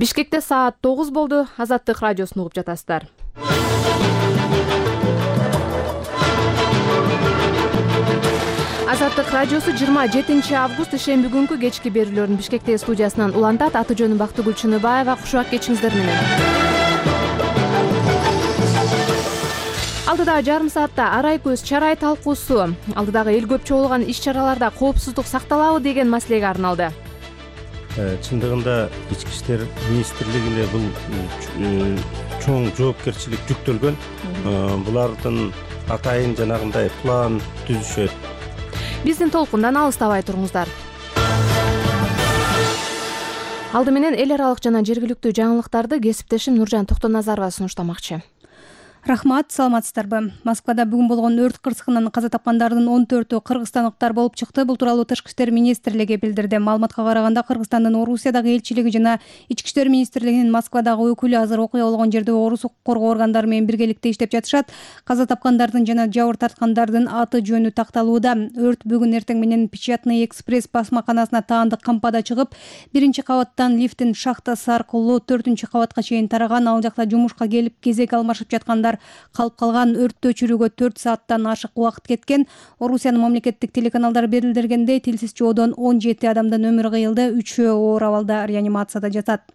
Бишкекте саат 9 болду. Азаттык радиосун угуп жатасыздар. Азаттык радиосу 27 август ишемби күнкү кечки берүүлөрүн Бишкектеги студиясынан улантат. Аты жөнүм Бактыгүл Чыныбаева. Кушубак кечиңиздер менен. Алдыдагы жарым саатта арай көз чарай талкуусу, алдыдагы эл көп чогулган иш-чараларда коопсуздук сакталабы деген маселеге арналды. Чындыгында Ички иштер министрлигине бул чоң жоопкерчилик жүктөлгөн. Булардын атайын жанагындай план түзүшөт. Биздин толкундан алыстабай туруңуздар. Алды менен эл аралык жана жергиликтүү жаңылыктарды кесиптешим Нуржан Токтоназарова сунуштамакчы. Рахмат, саламатсыздарбы. Москвада бүгүн болгон өрт кырсыгынан каза тапкандардын 14-өө кыргызстандыктар болуп чыкты. Бул тууралуу Тышкы иштер министрлиги билдирди. Маалыматка караганда Кыргызстандын Орусиядагы элчилиги жана Ички иштер министрлигинин Москвадагы өкүлү азыр окуя болгон жерде орус укук коргоо органдары менен биргеликте иштеп жатышат. Каза тапкандардын жана жабыр тарткандардын аты жөнү такталууда. Өрт бүгүн эртең менен Печатный экспресс басмаканасына таандык кампада чыгып, 1-кабаттан лифттин шахтасы аркылуу 4-кабатка чейин тараган. Ал жакта жумушка келип кезек алмашып жаткандар калып калган. Өрттү өчүрүүгө 4 сааттан ашык убакыт кеткен. Орусиянын мамлекеттик телеканалдары билдиргендей, тилсиз жоодон 17 адамдын өмүрү кыйылды, 3-өө оор абалда реанимацияда жатат.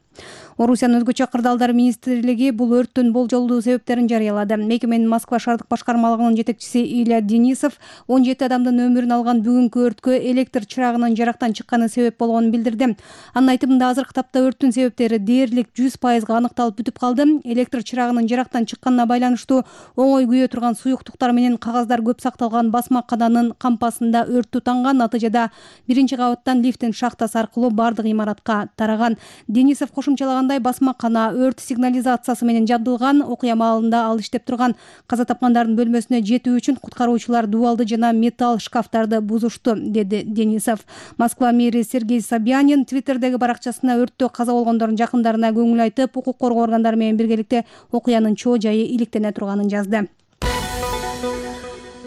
Орусиянын өзгөчө кырдаалдар министрлиги бул өрттүн болжолдуу себептерин жарыялады. Мекеменин Москва шаардык башкармалыгынын жетекчиси Илья Денисов 17 адамдын өмүрүн алган бүгүнкү өрткө электр чырагынын жарактан чыкканы себеп болгонун билдирди. Анын айтымында азыркы тапта өрттүн себептери дээрлик 100% аныкталып бүтүп калды. Электр чырагынын жарактан чыкканына байланыштуу оңой күйө турган суюктуктар менен кагаздар көп сакталган басмакананын кампасында өрт тутанган. Натыйжада 1-кабаттан лифттин шахтасы аркылуу бардык имаратка тараган. Денисов кошумчалагандай, басмакана өрт сигнализациясы менен жабдылган. Окуя маалында ал иштеп турган. Каза тапкандардын бөлмөсүнө жетүү үчүн куткаруучулар дубалды жана металл шкафтарды бузушту, деди Денисов. Москва мэри Сергей Собянин Твиттердеги баракчасына өрттө каза болгондордун жакындарына көңүл айтып, укук коргоо органдары менен биргеликте окуянын чоо жайы иликтене турганын жазды.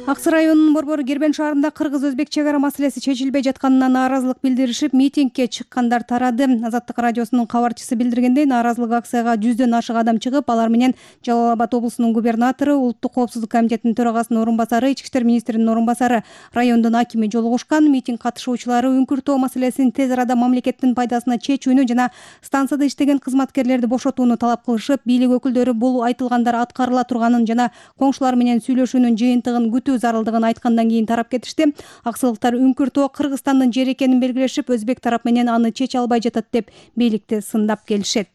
Ак Сай районунун Борбор Кербен шаарында кыргыз-өзбек чек ара маселеси чечилбей жатканына нааразылык билдиришип, митингге чыккандар тарады. Азаттык радиосунун кабарчысы билдиргендей, нааразылык акцияга 100дөн ашык адам чыгып, алар менен Жалал Абад облусунун губернатору, Улуттук коопсуздук комитетинин төрагасынын орун басары, Ички иштер министринин орун басары, райондун акими жолугушкан. Митинг катышуучулары үңкүртөө маселесин тез арада мамлекеттин пайдасына чечүүнү жана станцияда иштеген кызматкерлерди бошотууну талап кылышып, бийлик өкүлдөрү бул айтылгандар аткарыла турганын жана коңшулар менен сүйлөшүүнүн жыйынтыгын күтүү зарылдыгын айткандан кийин тарап кетишти. Аксылыктар үңкүртөө Кыргызстандын жери экенин белгилешип, өзбек тарап менен аны чече албай жатат деп бийликти сындап келишет.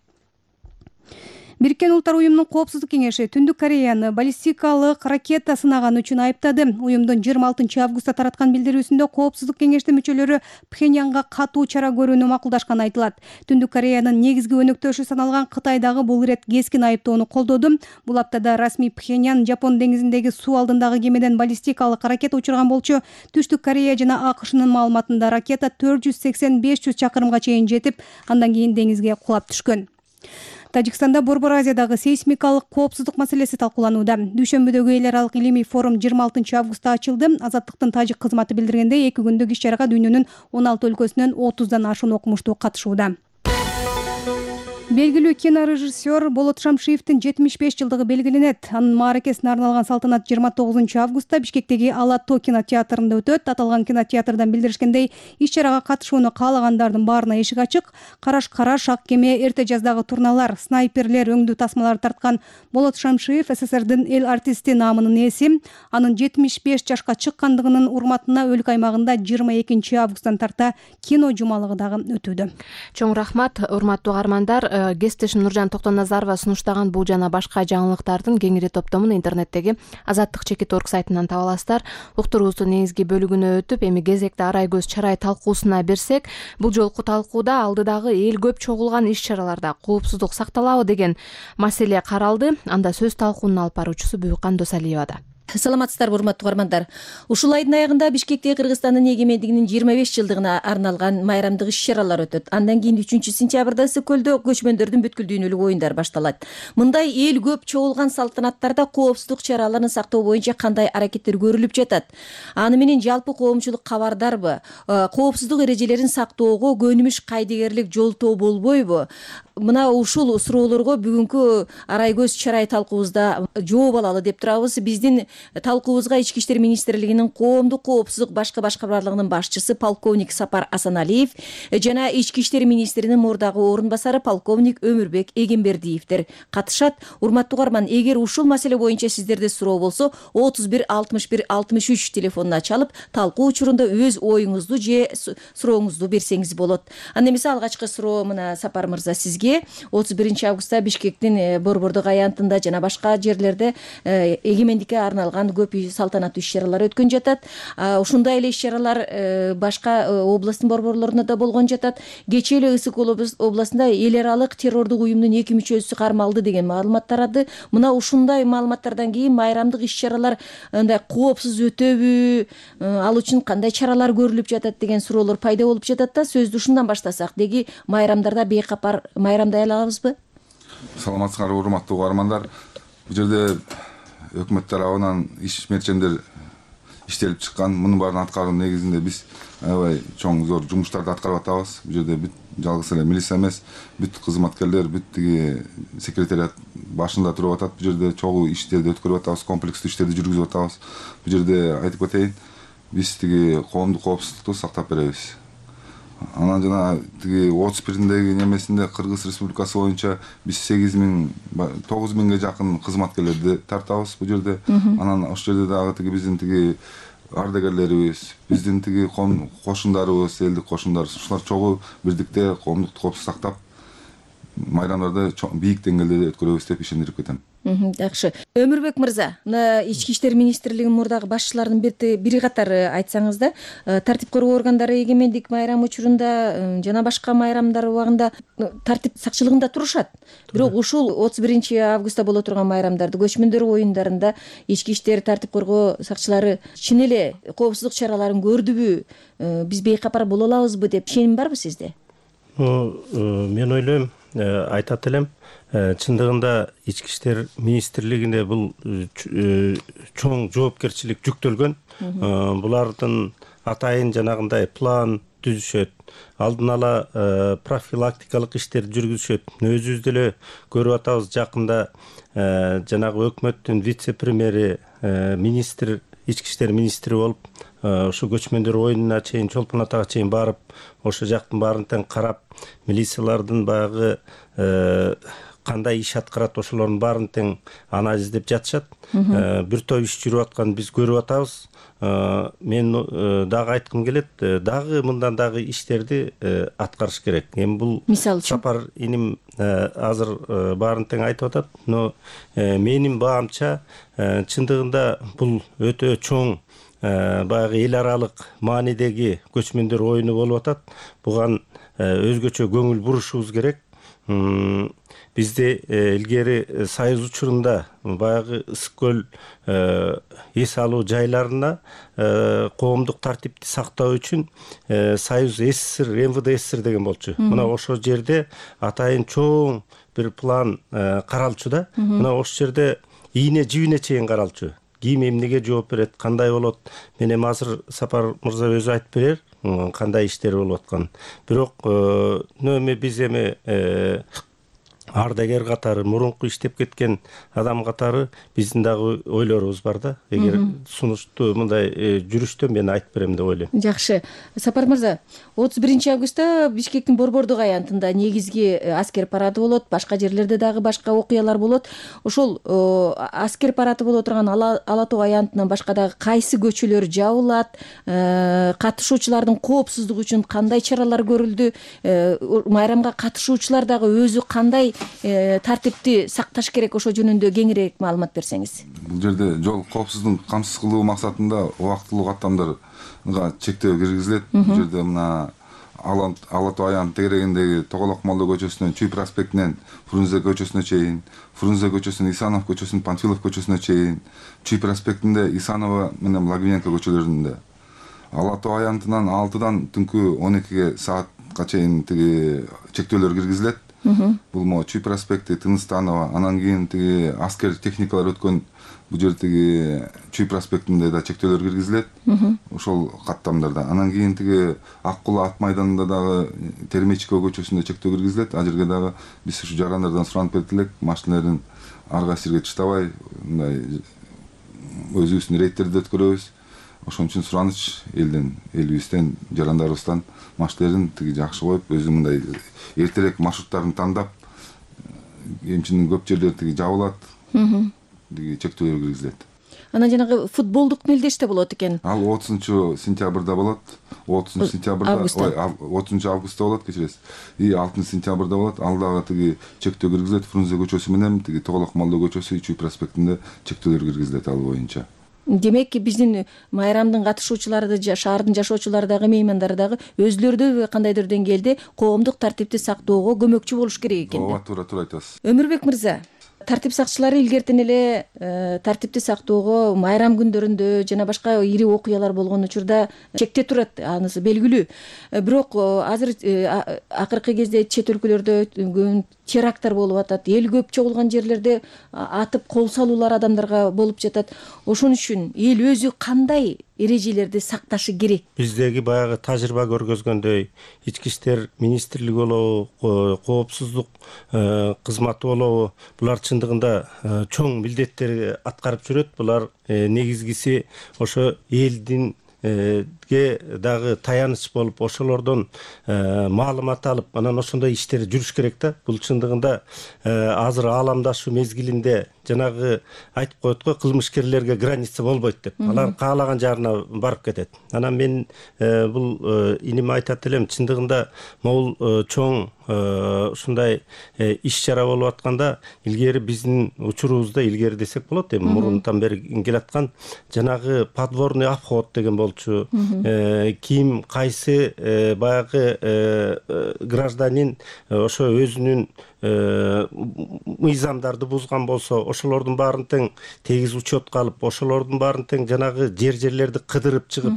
Бириккен Улуттар уюмунун коопсуздук кеңеши Түндүк Кореяны баллистикалык ракета сынаган үчүн айыптады. Уюмдун 26 августта тараткан билдирүүсүндө коопсуздук кеңештин мүчөлөрү Пхеньянга катуу чара көрүүнү макулдашканы айтылат. Түндүк Кореянын негизги өнөктөшү саналган Кытай дагы бул ирет кескин айыптоону колдоду. Бул аптада расмий Пхеньян Жапон деңизиндеги суу алдындагы кемеден баллистикалык ракета учурган болчу. Түштүк Корея жана АКШнын маалыматында ракета 480-500 чакырымга чейин жетип, андан кийин деңизге кулап түшкөн. Тажикстанда Борбор Азиядагы сейсмикалык коопсуздук маселеси талкууланууда. Дүйшөмбүдөгү эл аралык илимий форум 26 августта ачылды. Азаттыктын тажик кызматы билдиргендей, 2 күндүк иш-чарага дүйнөнүн 16 өлкөсүнөн 30дан ашуун окумуштуу катышууда. Белгилүү кинорежиссер Болот Шамшиевдин 75 жылдыгы белгиленет. Анын мааракесине арналган салтанат 29 августта Бишкектеги Ала-Тоо кинотеатрында өтөт. Аталган кинотеатрдан билдиришкендей, иш-чарага катышууну каалагандардын баарына эшик ачык. Караш ак кеме, эрте жаздагы турналар, снайперлер, өңдүү тасмалар тарткан Болот Шамшиев СССРдин эл артисти наамынын ээси. Анын 75 жашка чыккандыгынын урматына өлкө аймагында 22 августтан тарта кино жумалыгы дагы өтүүдө. Чоң рахмат, урматтуу угармандар. Кесиптешим Нуржан Токтоназарова сунуштаган бул жана башка жаңылыктардын кеңири топтомун интернеттеги azattik.org сайтынан таба аласыздар. Уктуруубуздун негизги бөлүгүнө өтүп, эми кезекте арай көз чарай талкуусуна берсек, бул жолку талкууда алдыдагы эл көп чогулган иш-чараларда коопсуздук сакталабы деген маселе каралды. Анда сөз талкуунун алып баруучусу Буюкан Досалиевада. Саламатсыздарбы, урматтуу угармандар. Ушул айдын аягында Бишкекте Кыргызстандын эгемендигинин 25 жылдыгына арналган майрамдык иш-чаралар өтөт. Андан кийин 3-сентябрда Ысык көлдө көчмөндөрдүн бүткүл дүйнөлүк оюндар башталат. Мындай эл көп чогулган салтанаттарда коопсуздук чараларын сактоо боюнча кандай аракеттер көрүлүп жатат? Аны менен жалпы коомчулук кабардарбы? Коопсуздук эрежелерин сактоого көнүмүш кайдыгерлик жолтоо болбойбу? Мына ушул суроолорго бүгүнкү арай көз чарай талкуубузда жооп алалы деп турабыз. Биздин талкуубузга Ички иштер министрлигинин коомдук коопсуздук башкармалыгынын башчысы полковник Сапар Асаналиев жана Ички иштер министринин мурдагы орун басары полковник Өмүрбек Эгембердиевдер катышат. Урматтуу угарман, эгер ушул маселе боюнча сиздерде суроо болсо 31 61 63 телефонуна чалып талкуу учурунда өз оюңузду же сурооңузду берсеңиз болот. Анда эмесе алгачкы суроо мына Сапар мырза сизге. 31 августта Бишкектин борбордук аянтында жана башка жерлерде эгемендикке арналган көп салтанаттуу иш-чаралар өткөн жатат. Ушундай эле иш-чаралар башка областтын борборлорунда да болгон жатат. Кечээ эле Ысык областында эл аралык террордук уюмдун 2 мүчөсү кармалды деген маалымат тарады. Мына ушундай маалыматтардан кийин майрамдык иш-чаралар андай коопсуз өтөбү, ал үчүн кандай чаралар көрүлүп жатат деген суроолор пайда болуп жатат да. Сөздү ушундан баштасак. Деги майрамдарда бейкапар майрамдай алабызбы? Саламатсыздарбы, урматтуу угармандар. Бул жерде өкмөт тарабынан иш мерчемдер иштелип чыккан. Мунун баарын аткаруу негизинде биз аябай чоң зор жумуштарды аткарып атабыз. Бул жерде бүт жалгыз эле милиция эмес, бүт кызматкерлер, бүт тиги секретариат башында туруп атат. Бул жерде чогуу иштерди өткөрүп атабыз, комплекстүү иштерди жүргүзүп атабыз. Бул жерде айтып кетейин, биз тиги коомдук коопсуздукту сактап беребиз. Анан жана тиги 31-деги немесинде Кыргыз Республикасы боюнча биз 9.000ге жакын кызматкерлерди тартабыз бул жерде. Анан ошол жерде дагы тиги биздин тиги ардагерлерибиз, биздин тиги кошундарыбыз, элдик кошундар, ушулар чогуу бирдикте коомдук коопсуздукту сактап майрамдарды бийик деңгээлде өткөрөбүз деп ишендирип кетем. Жакшы. Өмүрбек мырза, мына Ички иштер министрлигинин мурдагы башчыларынын бири катары айтсаңыз да, тартип коргоо органдары эгемендик майрамы учурунда жана башка майрамдар убагында тартип сакчылыгында турушат. Бирок ушул 31 августта боло турган майрамдарды, көчмөндөр оюндарында ички иштер тартип коргоо сакчылары чын эле коопсуздук чараларын көрдүбү, биз бейкапар боло алабызбы деп ишеним барбы сизде? Мен ойлойм, айтат элем, чындыгында Ички иштер министрлигине бул чоң жоопкерчилик жүктөлгөн. Булардын атайын жанагындай план түзүшөт, алдын ала профилактикалык иштерди жүргүзүшөт. Өзүбүз деле көрүп атабыз, жакында жанагы өкмөттүн вице-премьери, министр, ички иштер министри болуп, ошо көчмөндөр оюнуна чейин, Чолпон Атага чейин барып, ошо жактын баарын тең карап, милициялардын баягы кандай иш аткарат, ошолордун баарын тең анализдеп жатышат. Бир топ иш жүрүп атканын биз көрүп атабыз. Мен дагы айткым келет, дагы мындан дагы иштерди аткарыш керек. Эми бул Сапар иним азыр баарын тең айтып атат, но менин баамча чындыгында бул өтө чоң баягы эл аралык маанидеги көчмөндөр оюну болуп атат. Буга өзгөчө көңүл бурушубуз керек. Бизде илгери Союз учурунда баягы Ысык көл эс алуу жайларына коомдук тартипти сактоо үчүн Союз СССР, МВД СССР деген болчу. Мына ошол жерде атайын чоң бир план каралчу да. Мына ошол жерде ийне жибине чейин каралчу. Ким эмнеге жооп берет, кандай болот? Мен эми азыр Сапар мырза өзү айтып берер, кандай иштер болуп аткан. Бирок эми биз эми ардагер катары, мурунку иштеп кеткен адам катары биздин дагы ойлорубуз бар да. Эгер сунуштуу мындай жүрүштө мен айтып берем деп ойлойм. Жакшы. Сапар мырза, 31 августта Бишкектин борбордук аянтында негизги аскер парады болот, башка жерлерде дагы башка окуялар болот. Ошол аскер парады боло турган Ала Тоо аянтынан башка дагы кайсы көчөлөр жабылат, катышуучулардын коопсуздугу үчүн кандай чаралар көрүлдү, майрамга катышуучулар дагы өзү кандай тартипти сакташ керек, ошо жөнүндө кеңирээк маалымат берсеңиз. Бул жерде жол коопсуздугун камсыз кылуу максатында убактылуу каттамдарга чектөө киргизилет. Бул жерде мына Ала Тоо аянтын тегерегиндеги Тоголок Молдо көчөсүнөн Чүй проспектинен Фрунзе көчөсүнө чейин, Фрунзе көчөсүнөн Исанов көчөсүнөн Панфилов көчөсүнө чейин, Чүй проспектинде Исанова менен Благовенко көчөлөрүндө, Ала Тоо аянтынан 6-дан түнкү 12 саатка чейин тиги чектөөлөр киргизилет. Бул могу Чүй проспекти, Тыныстанова, анан кийин тиги аскер техникалар өткөн бул жердеги Чүй проспектинде да чектөөлөр киргизилет. Ошол каттамдарда. Анан кийин тиги Ак Кулаа ат майданында дагы Термечко көчөсүндө чектөө киргизилет. Ал жерге дагы биз ушу жарандардан суранып берип элек, машиналерин ар кайсы жерге таштабай, мындай өзүбүздүн рейдтерди өткөрөбүз. Ошон үчүн сураныч элибизден, жарандарыбыздан машиналерин тиги жакшы коюп, өзү мындай эртерээк маршруттарын тандап, эмчинин көп жерлери тиги жабылат. Тиги чектөөлөр киргизилет. Анан жанагы футболдук мелдеште болот экен. Ал 30-сентябрда болот. 30-августта болот, кечиресиз. И 6-сентябрда болот. Ал дагы тиги чектөө киргизилет. Фрунзе көчөсү менен тиги Тоголок Молдо көчөсү, Чүй проспектинде чектөөлөр киргизилет ал боюнча. Демек, биздин майрамдын катышуучулары, шаардын жашоочулары дагы, меймандары дагы өзүлөрү да кандайдыр деңгээлде коомдук тартипти сактоого көмөкчү болуш керек экен. Ооба, туура айтасыз. Өмүрбек мырза, тартип сакчылары илгертен эле тартипти сактоого майрам күндөрүндө жана башка ири окуялар болгон учурда чектеп турат, анысы белгилүү. Бирок азыр акыркы кезде чет өлкөлөрдө теракттар болуп атат, эл көп чогулган жерлерде атып кол салуулар адамдарга болуп жатат. Ошон үчүн эл өзү кандай эрежелерди сакташы керек? Биздеги баягы тажрыйба көргөзгөндөй, ички иштер министрлиги болобу, коопсуздук кызматы болобу, булар чындыгында чоң милдеттерди аткарып жүрөт. Булар негизгиси ошо элдин дагы таяныч болуп, ошолордон маалымат алып, анан ошондой иштер жүрүш керек да. Бул чындыгында азыр ааламдашуу мезгилинде жанагы айтып коет го, кылмышкерлерге граница болбойт деп. Алар каалаган жарына барып кетет. Анан мен бул иниме айтат элем, чындыгында могул чоң ушундай иш-чара болуп атканда, илгери биздин учурубузда, илгери десек болот, эми мурунтан бери келаткан жанагы подворный обход деген болчу. Ким кайсы баягы гражданин ошо өзүнүн мыйзамдарды бузган болсо, ошолордун баарын тең тегиз учетко алып, ошолордун баарын тең жанагы жерлерди кыдырып чыгып,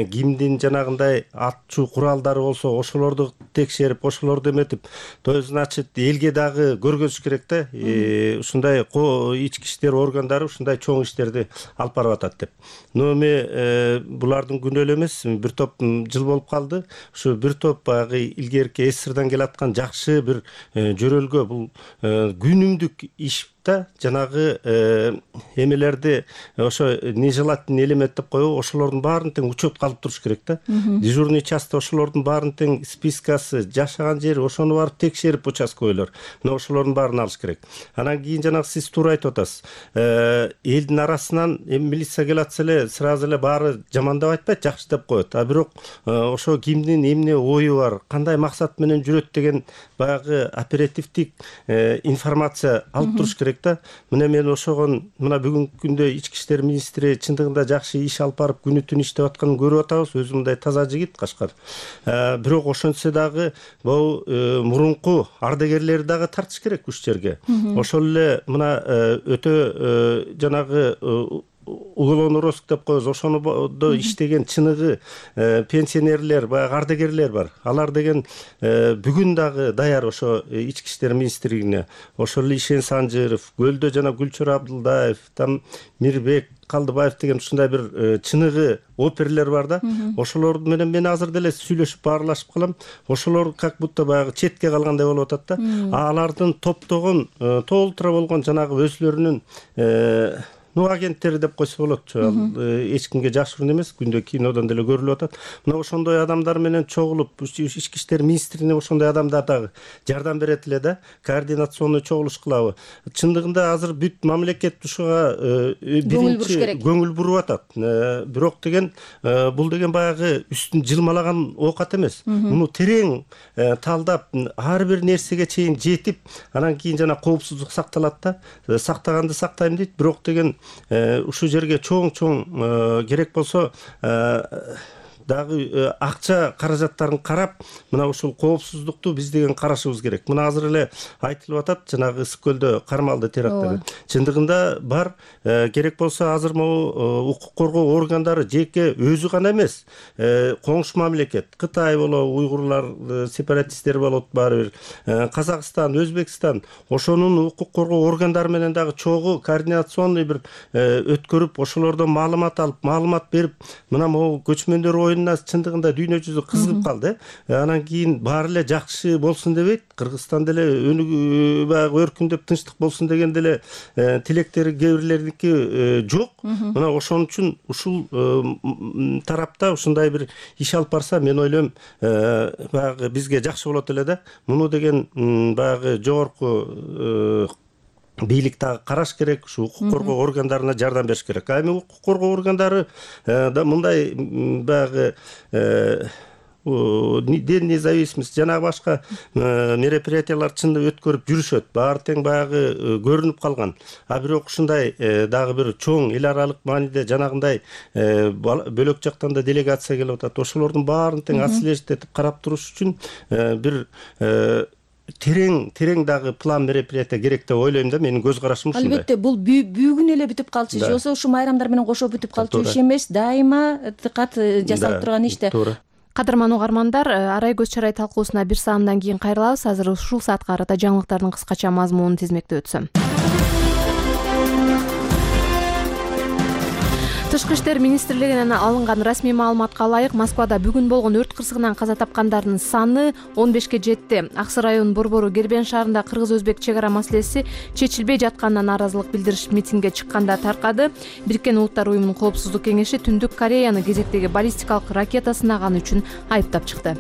кимдин жанагындай атчу куралдары болсо, ошолорду текшерип, ошолорду эметип, то есть, значит, элге дагы көргөзүш керек да. Ушундай ички иштер органдары ушундай чоң иштерди алып барып атат деп. Но эми булардын күнөөлүү эмес, бир топ жыл болуп калды. Ушу бир топ баягы илгерки СССРдан келаткан жакшы бир жөрөлгө, бул күнүмдүк иш да, жанагы эмелерди ошо нежелательный элемент деп коебу, ошолордун баарын тең учетко алып туруш керек да. Дежурный часть ошолордун баарын тең спискасы, жашаган жери, ошону барып текшерип участковыйлар. Мына ошолордун баарын алыш керек. Анан кийин жанагы сиз туура айтып атасыз. Элдин арасынан милиция келатса эле сразу эле баары жаман деп айтпайт, жакшы деп коет. А бирок ошо кимдин эмне ою бар, кандай максат менен жүрөт деген баягы оперативдик информация алып туруш керек да. Мына мен ошогон мына бүгүнкү күндө ички иштер министри чындыгында жакшы иш алып барып күнү түн иштеп атканын көрүп атабыз. Өзү мындай таза жигит Кашкар. Бирок ошончо дагы бул мурунку ардагерлерди дагы тартыш керек уш жерге. Ошол эле мына өтө жанагы уголовный розыск деп коебуз, ошондо иштеген чыныгы пенсионерлер, баягы ардагерлер бар. Алар деген бүгүн дагы даяр ошо ички иштер министрлигине. Ошол эле Ишен Санжыров, Көлдө жана Гүлчөр Абдылдаев, там Мирбек Калдыбаев деген ушундай бир чыныгы оперлер бар да. Ошолор менен мен азыр деле сүйлөшүп баарлашып калам. Ошолор как будто баягы четке калгандай болуп атат да. Алардын топтогон, толтура болгон жанагы өзлөрүнүн агенттери деп койсо болот. Эч кимге жашыруун эмес, күндө кинодон деле көрүлүп атат. Мына ошондой адамдар менен чогулуп, ички иштер министрине ошондой адамдар дагы жардам берет эле да, координационный чогулуш кылабы. Чындыгында азыр бүт мамлекет ушуга биринчи көңүл буруп атат. Бирок деген бул деген баягы үстүн жылмалаган оокат эмес. Муну терең талдап, ар бир нерсеге чейин жетип, анан кийин жана коопсуздук сакталат да. Сактаганды сактайм дейт, бирок деген ушу жерге чоң керек болсо дагы акча каражаттарын карап, мына ушул коопсуздукту биз деген карашыбыз керек. Мына азыр эле айтылып атат, жанагы Ысык көлдө кармалды теракттар. Чындыгында бар, керек болсо азыр могу укук коргоо органдары жеке өзү гана эмес, коңшу мамлекет, Кытай болобу, уйгурлар сепаратисттер болот, баары бир Казакстан, Өзбекстан, ошонун укук коргоо органдары менен дагы чогуу координационный бир өткөрүп, ошолордон маалымат алып, маалымат берип, мына могу көчмөндөр оюнуна чындыгында дүйнө жүзү кызыгып калды. Анан кийин баары эле жакшы болсун дебейт, Кыргызстан деле баягы өркүндөп тынчтык болсун деген деле тилектери кээ бирлердики жок. Мына ошон үчүн ушул тарапта ушундай бир иш алып барса, мен ойлойм, баягы бизге жакшы болот эле да. Муну деген баягы жогорку бийлик дагы караш керек, ушу укук коргоо органдарына жардам бериш керек. Эми укук коргоо органдары да мындай баягы ден независимость жанагы башка мероприятиялар чында өткөрүп жүрүшөт. Баары тең баягы көрүнүп калган. А бирок ушундай дагы бир чоң эл аралык мааниде жанагындай бөлөк жактан да делегация келип атат. Ошолордун баарын тең отслеживать этип карап туруш үчүн бир терең дагы план мероприятия керек деп ойлойм да. Менин көз карашым ушундай. Албетте, бул бүгүн эле бүтүп калчу, же болбосо ушу майрамдар менен кошо бүтүп калчу иш эмес, дайыма дыкат жасалып турган иш да. Туура. Кадырман угармандар, Арай көз чарай талкуусуна бир саамдан кийин кайрылабыз. Азыр ушул саатка карата жаңылыктардын кыскача мазмунун тизмектеп өтсөм. Тышкы иштер министрлигинен алынган расмий маалыматка ылайык, Москвада бүгүн болгон өрт кырсыгынан каза тапкандардын саны 15ке жетти. Аксы районунун борбору Гербен шаарында кыргыз-өзбек чек ара маселеси чечилбей жатканына нааразылык билдириш митингге чыкканда таркады. Бириккен Улуттар уюмунун коопсуздук кеңеши Түндүк Кореяны кезектеги баллистикалык ракета сынаганы үчүн айыптап чыкты.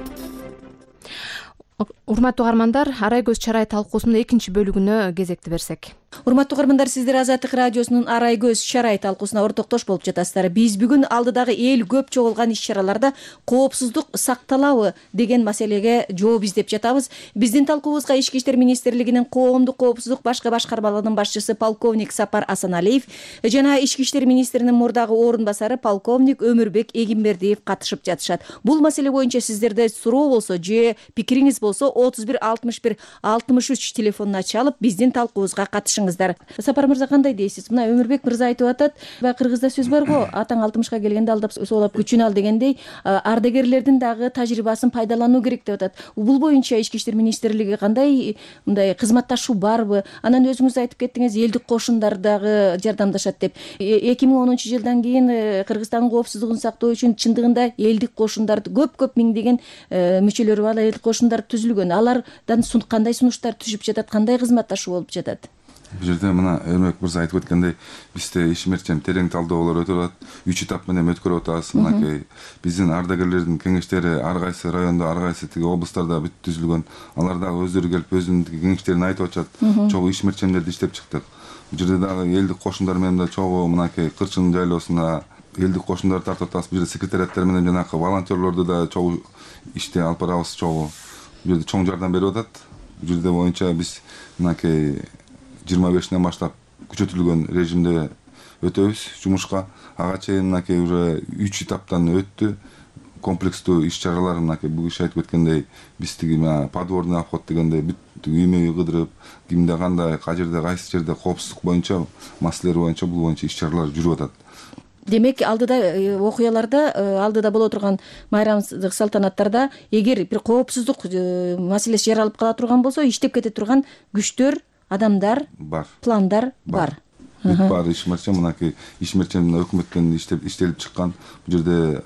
Урматтуу угармандар, Арай көз чарай талкуусунун экинчи бөлүгүнө кезекти берсек. Урматтуу угармандар, сиздер Азаттык радиосунун Арай көз чарай талкуусуна ортоктош болуп жатасыздар. Биз бүгүн алдыдагы эл көп чогулган иш-чараларда коопсуздук сакталабы деген маселеге жооп издеп жатабыз. Биздин талкуубузга Ички иштер министрлигинин коомдук коопсуздук башкы башкармалыгынын башчысы полковник Сапар Асаналиев жана Ички иштер министринин мурдагы орун басары полковник Өмүрбек Эгимбердиев катышып жатышат. Бул маселе боюнча сиздерде суроо болсо же пикириңиз болсо 31 61 63 телефонуна чалып биздин талкуубузга катышыңыздар. Сапар мырза, кандай дейсиз? Мына Өмүрбек мырза айтып атат, кыргызда сөз бар го, атаң 60ка келгенде алдап соолап күчүн ал дегендей, ардагерлердин дагы тажрыйбасын пайдалануу керек деп атат. Бул боюнча Ички иштер министрлиги кандай мындай кызматташуу барбы? Анан өзүңүз айтып кеттиңиз, элдик кошундар дагы жардамдашат деп. 2010-жылдан кийин Кыргызстандын коопсуздугун сактоо үчүн чындыгында элдик кошундар көп миңдеген мүчөлөрү бар элдик кошундар түзүлгөн. Алардан кандай сунуштар түшүп жатат, кандай кызматташуу болуп жатат? Бул жерде мына Өмүрбек мырза айтып өткөндөй, бизде ишмерчен терең талдоолор өтүп атат. 3 этап менен өткөрүп атабыз. Мынакей биздин ардагерлердин кеңештери ар кайсы райондо, ар кайсы тиги облустарда бүт түзүлгөн. Алар дагы өздөрү келип өзүнүн кеңештерин айтып атышат. Чогуу ишмерчендерди иштеп чыктык. Бул жерде дагы элдик кошундар менен да чогуу мынакей Кырчын жайлоосуна элдик кошундарды тартып атабыз. Бул жерде секретариаттар менен жанагы волонтерлорду да чогуу иште алып барабыз, чогуу. Бул жерде чоң жардам берип атат. Бул жерде боюнча биз мынакей 25-нен баштап күчөтүлгөн режимде өтөбүз жумушка. Ага чейин мынакей уже 3 этаптан өттү. Комплекстүү иш-чаралар мынакей бул киши айтып өткөндөй, биз тиги подворный обход дегендей бүт үймө кыдырып, кимде кандай, кайерде кайсы жерде коопсуздук боюнча, маселелер боюнча бул боюнча иш-чаралар жүрүп атат. Демек, алдыда окуяларда, алдыда боло турган майрамдык салтанаттарда эгер бир коопсуздук маселеси жаралып кала турган болсо, иштеп кете турган күчтөр, адамдар бар, пландар бар. Бүт баары ишмерчен, мынакей ишмерчен өкмөттөн иштелип чыккан. Бул жерде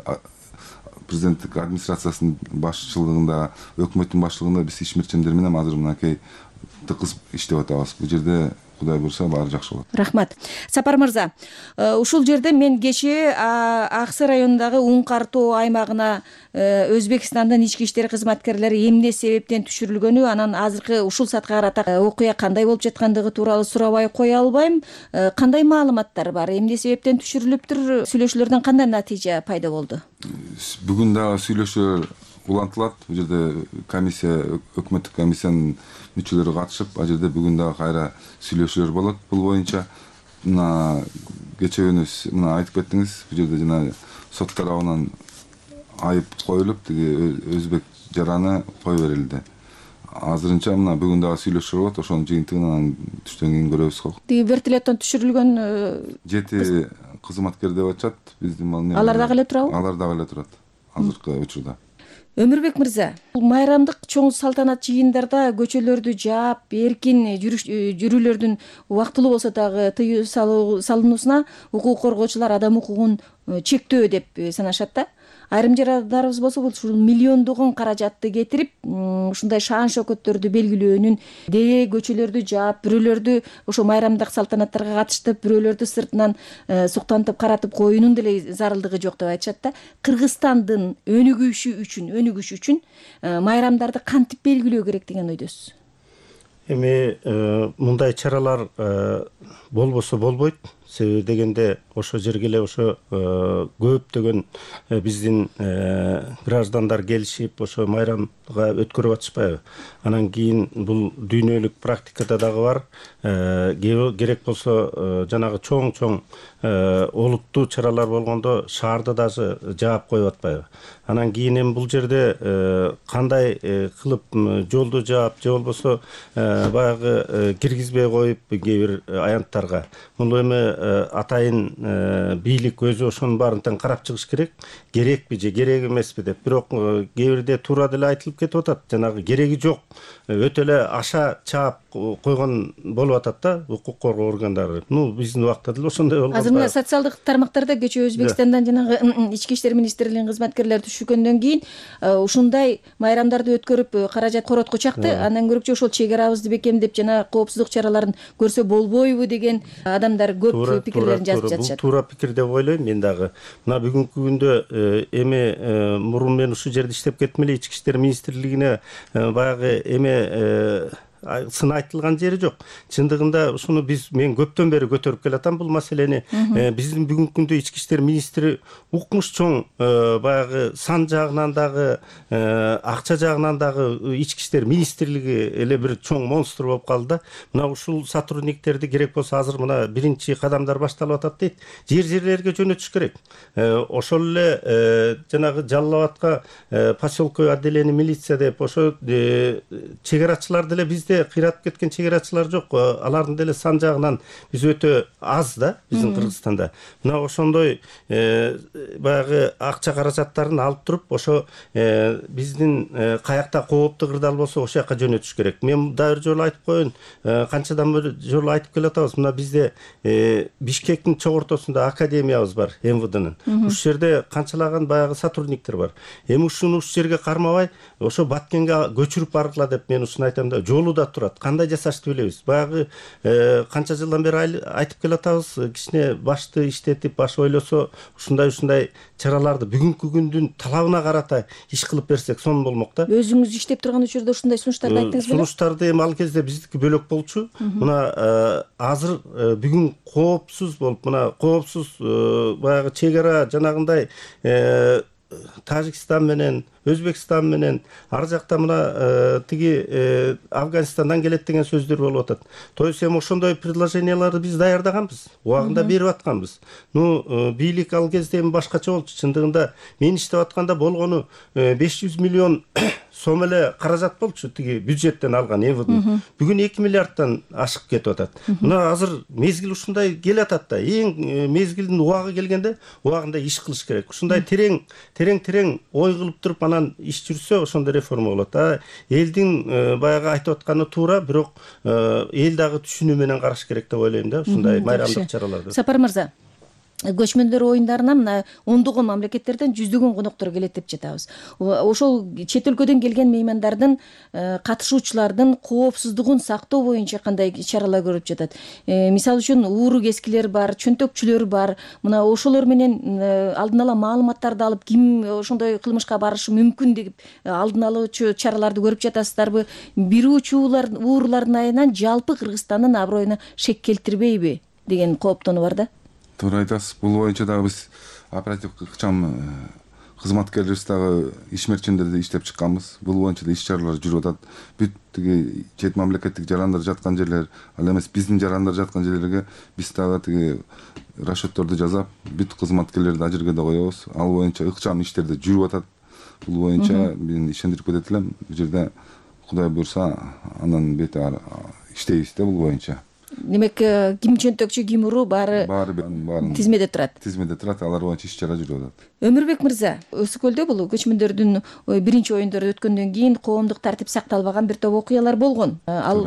президенттик администрациясынын башчылыгында, өкмөттүн башчылыгында биз ишмерчендер менен азыр мынакей тыкыз иштеп атабыз. Бул жерде Кудай буйрса баары жакшы болот. Рахмат. Сапар мырза, ушул жерде мен кечээ Аксы районундагы Уң-Картоо аймагына Өзбекстандын ички иштер кызматкерлери эмне себептен түшүрүлгөнү, анан азыркы ушул саатка карата окуя кандай болуп жаткандыгы тууралуу сурабай кое албайм. Кандай маалыматтар бар? Эмне себептен түшүрүлүптүр? Сүйлөшүүлөрдөн кандай натыйжа пайда болду? Бүгүн дагы сүйлөшүүлөр улантылат. Бул жерде комиссия, өкмөттүк комиссиянын мүчөлөрү катышып, ал жерде бүгүн дагы кайра сүйлөшүүлөр болот. Бул боюнча мына кечээ күнү мына айтып кеттиңиз, бул жерде жана сот тарабынан айып коюлуп тиги өзбек жараны кое берилди. Азырынча мына бүгүн дагы сүйлөшүп атат, ошонун жыйынтыгын анан түштөн кийин көрөбүз го. Тиги вертолеттон түшүрүлгөн 7 кызматкер деп атышат биздин. Алар дагы эле турабы? Алар дагы эле турат азыркы учурда. Өмүрбек мырза, бул майрамдык чоң салтанат жыйындарда көчөлөрдү жаап, эркин жүрүүлөрдүн убактылуу болсо дагы тыюу салынуусуна укук коргоочулар адам укугун чектөө деп санашат да. Айрым жарандарыбыз болсо ушул миллиондогон каражатты кетирип, ушундай шаан шөкөттөрдү белгилөөнүн, дээ көчөлөрдү жаап, бирөөлөрдү ошо майрамдык салтанаттарга катыштып, бирөөлөрдү сыртынан суктантып каратып коюунун деле зарылдыгы жок деп айтышат да. Кыргызстандын өнүгүшү үчүн майрамдарды кантип белгилөө керек деген ойдосуз? Эми мындай чаралар болбосо болбойт. Себеби дегенде ошо жерге эле ошо көптөгөн биздин граждандар келишип ошо майрамга өткөрүп атышпайбы. Анан кийин бул дүйнөлүк практикада дагы бар. Керек болсо жанагы чоң олуттуу чаралар болгондо шаарды даже жаап коюп атпайбы. Анан кийин эми бул жерде кандай кылып жолду жаап же болбосо баягы киргизбей коюп кээ бир аянттарга. Бул эми атайын бийлик өзү ошонун баарын тең карап чыгыш керек. Керекпи же керек эмеспи деп. Бирок кээ бирде туура деле айтылып кетип атат. Жанагы кереги жок. Өтө эле аша чаап койгон болуп атат да укук коргоо органдары. Биздин убакта деле ошондой болгон. Азыр мына социалдык тармактарда кечээ Өзбекстандан жанагы ички иштер министрлигинин кызматкерлери түшүргөндөн кийин ушундай майрамдарды өткөрүп каражат коротко чакты. Андан көрүкчү ошол чек арабызды бекемдеп жана коопсуздук чараларын көрсө болбойбу деген адамдар көп пикирлерин жазып жатышат. Бул туура пикир деп ойлойм мен дагы. Мына бүгүнкү күндө эми мурун мен ушул жерде иштеп кеттим эле, ички иштер министрлигине баягы сын айтылган жери жок. Чындыгында ушуну мен көптөн бери көтөрүп келатам бул маселени. Биздин бүгүнкү күндө ички иштер министри укмуш чоң баягы сан жагынан дагы акча жагынан дагы ички иштер министрлиги эле бир чоң монстр болуп калды да. Мына ушул сотрудниктерди керек болсо азыр мына биринчи кадамдар башталып атат дейт. Жерлерге жөнөтүш керек. Ошол эле жанагы Жалал Абадка поселковый отделение милиция деп ошо чек арачылар деле бизде кыйратып кеткен чек арачылар жок. Алардын деле сан жагынан биз өтө аз да биздин Кыргызстанда. Мына ошондой баягы акча каражаттарын алып туруп ошо биздин каякта кооптуу кырдаал болсо ошол жака жөнөтүш керек. Мен дагы бир жолу айтып коеюн, канчадан бери жолу айтып келатабыз. Мына бизде Бишкектин чогортосунда академиябыз бар, МВДнын. Ушул жерде канчалаган баягы сотрудниктер бар. Эми ушуну ушул жерге кармабай, ошо Баткенге көчүрүп баргыла деп мен ушуну айтам да. Жолу да турат. Кандай жасашты билебиз. Баягы канча жылдан бери айтып келатабыз. Кичине башты иштетип, баш ойлосо ушундай чараларды бүгүнкү күндүн талабына карата иш кылып берсек сонун болмок да. Өзүңүз иштеп турган учурда ушундай сунуштарды айттыңыз беле? Сунуштарды эми ал кезде биздики бөлөк болчу. Мына азыр бүгүн коопсуз болуп, мына коопсуз баягы чек ара жанагындай Тажикстан менен, Өзбекстан менен, ар жакта мына тиги Афганистандан келет деген сөздөр болуп атат. То есть эми ошондой предложенияларды биз даярдаганбыз, убагында берип атканбыз. Бийлик ал кезде эми башкача болчу. Чындыгында мен иштеп атканда болгону 500 миллион сом эле каражат болчу тиги бюджеттен алган МВД. Бүгүн 2 миллиардтан ашык кетип атат. Мына азыр мезгил ушундай келатат да. Эң мезгилдин убагы келгенде убагында иш кылыш керек. Ушундай терең ой кылып туруп анан иш жүрсө ошондой реформа болот. Элдин баягы айтып атканы туура, бирок эл дагы түшүнүү менен караш керек деп ойлойм да ушундай майрамдык чараларды. Сапар мырза, көчмөндөр оюндарына мына ондогон мамлекеттерден жүздөгөн коноктор келет деп жатабыз. Ошол чет өлкөдөн келген меймандардын катышуучулардын коопсуздугун сактоо боюнча кандай чаралар көрүп жатат? Мисалы үчүн ууру кескилер бар, чөнтөкчүлөр бар. Мына ошолор менен алдын ала маалыматтарды алып, ким ошондой кылмышка барышы мүмкүн деп алдын алуучу чараларды көрүп жатасыздарбы? Бирүүчү уурулардын айынан жалпы Кыргызстандын аброюна шек келтирбейби деген кооптонуу бар да. Туура айтасыз. Бул боюнча дагы биз оперативдик ыкчам кызматкерлерибиз дагы ишмерчендерди иштеп чыкканбыз. Бул боюнча да иш чаралар жүрүп атат. Бүт тиги чет мамлекеттик жарандар жаткан жерлер, ал эмес биздин жарандар жаткан жерлерге биз дагы тиги расчетторду жасап, бүт кызматкерлерди ажыргада коебуз. Ал боюнча ыкчам иштер да жүрүп атат. Бул боюнча мен ишендирип кетет элем. Бул жерде Кудай буйрса андан бети иштейбиз да бул боюнча. Демек, ким чөнтөкчү, ким уру баары тизмеде турат. Тизмеде турат, алар боюнча иш чара жүрүп атат. Өмүрбек мырза, Өсү көлдө бул көчмөндөрдүн биринчи оюндары өткөндөн кийин коомдук тартип сакталбаган бир топ окуялар болгон. Ал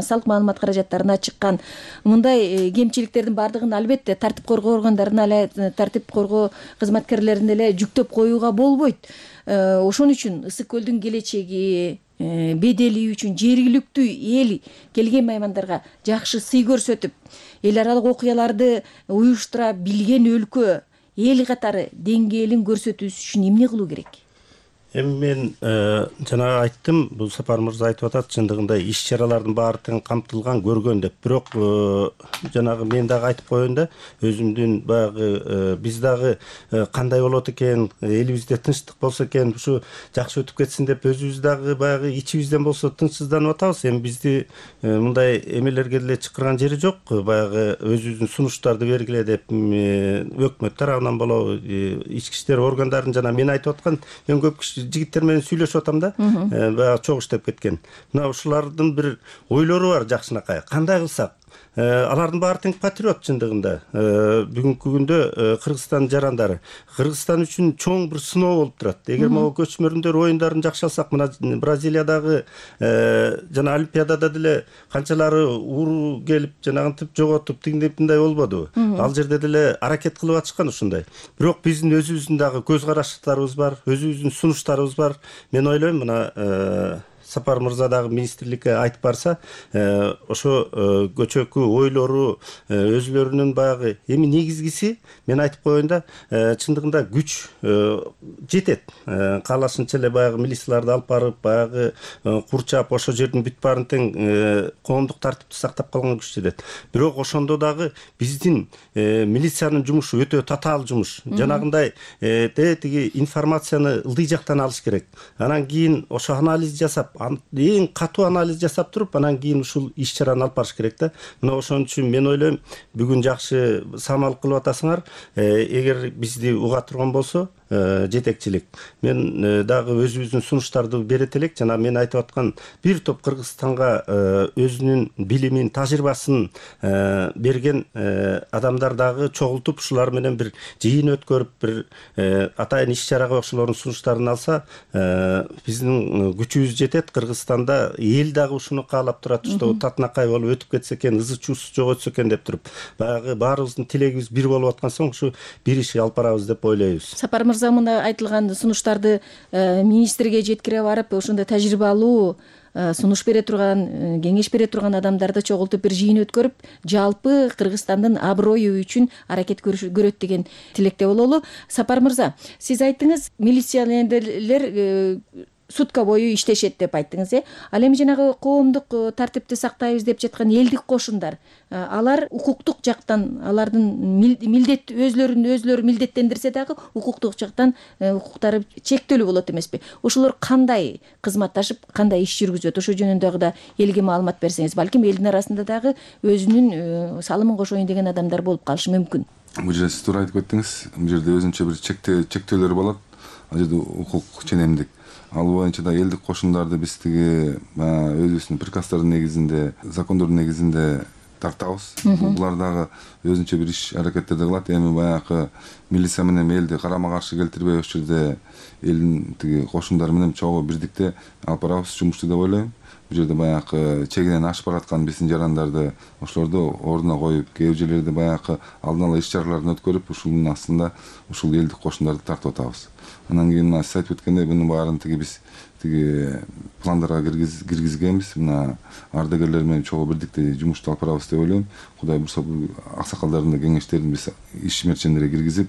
салык маалымат каражаттарына чыккан. Мындай кемчиликтердин баардыгын албетте тартип коргоо органдарына тартип коргоо кызматкерлерине эле жүктөп коюуга болбойт. Ошон үчүн Ысык көлдүн келечеги, бедели үчүн жергиликтүү эл келген меймандарга жакшы сый көрсөтүп, эл аралык окуяларды уюштура билген өлкө, эл катары деңгээлин көрсөтүүсү үчүн эмне кылуу керек? Эми мен жана айттым, бул Сапар мырза айтып атат, чындыгында иш чаралардын баары тең камтылган, көргөн деп. Бирок жанагы мен дагы айтып коеюн да, өзүмдүн баягы биз дагы кандай болот экен, элибизде тынчтык болсо экен, ушу жакшы өтүп кетсин деп өзүбүз дагы баягы ичибизден болсо тынчсызданып атабыз. Эми бизди мындай эмелерге деле чакырган жери жок. Баягы өзүбүздүн сунуштарды бергиле деп өкмөт тарабынан болобу, ички иштер органдарын жана мен айтып аткан, мен көп жигиттер менен сүйлөшүп атам да, баягы чогуу иштеп кеткен. Мына ушулардын бир ойлору бар жакшынакай. Кандай кылсак? Алардын баары тең патриот чындыгында. Бүгүнкү күндө Кыргызстан жарандары Кыргызстан үчүн чоң бир сыноо болуп турат. Эгер могу көчмөндөр оюндарын жакшы алсак, мына Бразилиядагы жана Олимпиадада деле канчалары уруу келип, жанагынтип жоготуп, тигиндей болбодубу? Ал жерде деле аракет кылып атышкан ушундай. Бирок биздин өзүбүздүн дагы көз караштарыбыз бар, өзүбүздүн сунуштарыбыз бар. Мен ойлойм, мына Сапар мырза дагы министрликке айтып барса, ошо көчөкү ойлору өзүлөрүнүн баягы эми негизгиси, мен айтып коеюн да, чындыгында күч жетет. Каалашынча эле баягы милицияларды алып барып, баягы курчап, ошо жердин бүт баарын тең коомдук тартипти сактап калган күч жетет. Бирок ошондо дагы биздин милициянын жумушу өтө татаал жумуш. Жанагындай тиги информацияны ылдый жактан алыш керек. Анан кийин ошо анализ жасап, эң катуу анализ жасап туруп, анан кийин ушул иш чараны алып барыш керек да. Мына ошон үчүн мен ойлойм, бүгүн жакшы самал кылып атасыңар. Эгер бизди уга турган болсо, жетекчилик, мен дагы өзүбүздүн сунуштарды берет элек. Жана мен айтып аткан бир топ Кыргызстанга өзүнүн билимин, тажрыйбасын берген адамдар дагы чогултуп, ушулар менен бир жыйын өткөрүп, бир атайын иш чарага ошолордун сунуштарын алса, биздин күчүбүз жетет. Кыргызстанда эл дагы ушуну каалап турат, что татынакай болуп өтүп кетсе экен, ызы чуусу жок өтсө экен деп туруп, баягы баарыбыздын тилегибиз бир болуп аткан соң ушу бир иш алып барабыз деп ойлойбуз. Сапар мырза, мына айтылган сунуштарды министрге жеткире барып, ошондой тажрыйбалуу сунуш бере турган, кеңеш бере турган адамдарды чогултуп бир жыйын өткөрүп, жалпы Кыргызстандын аброю үчүн аракет көрөт деген тилекте бололу. Сапар мырза, сиз айттыңыз, милиционерлер сутка бою иштешет деп айттыңыз, Ал эми жанагы коомдук тартипти сактайбыз деп жаткан элдик кошундар, алар укуктук жактан, алардын милдет өзлөрү милдеттендирсе дагы укуктук жактан укуктары чектелүү болот эмеспи? Ошолор кандай кызматташып, кандай иш жүргүзөт? Ошо жөнүндө дагы элге маалымат берсеңиз, балким элдин арасында дагы өзүнүн салымын кошоюн деген адамдар болуп калышы мүмкүн. Бул жерде сиз туура айтып кеттиңиз. Бул жерде өзүнчө бир чектөөлөр болот. Ал жерде укук ченемдик. Ал боюнча да элдик кошундарды биз тиги өзүбүздүн приказдардын негизинде, закондордун негизинде тартабыз. Булар дагы өзүнчө бир иш аракеттерди кылат. Эми баягы милиция менен элди карама каршы келтирбей, ошол жерде элдин тиги кошундары менен чогуу бирдикте алып барабыз жумушту деп ойлойм. Бул жерде баягы чегинен ашып бараткан биздин жарандарды ошолорду ордуна коюп, кээ бир жерлерде баягы алдын ала иш чараларын өткөрүп, ушунун астында ушул элдик кошундарды тартып атабыз. Анан кийин мына сиз айтып өткөндөй, мунун баарын биз пландарга киргизгенбиз. Мына ардагерлер менен чогуу бирдикте жумушту алып барабыз деп ойлойм. Кудай буйрса, аксакалдардын да кеңештерин биз ишмерчендерге киргизип,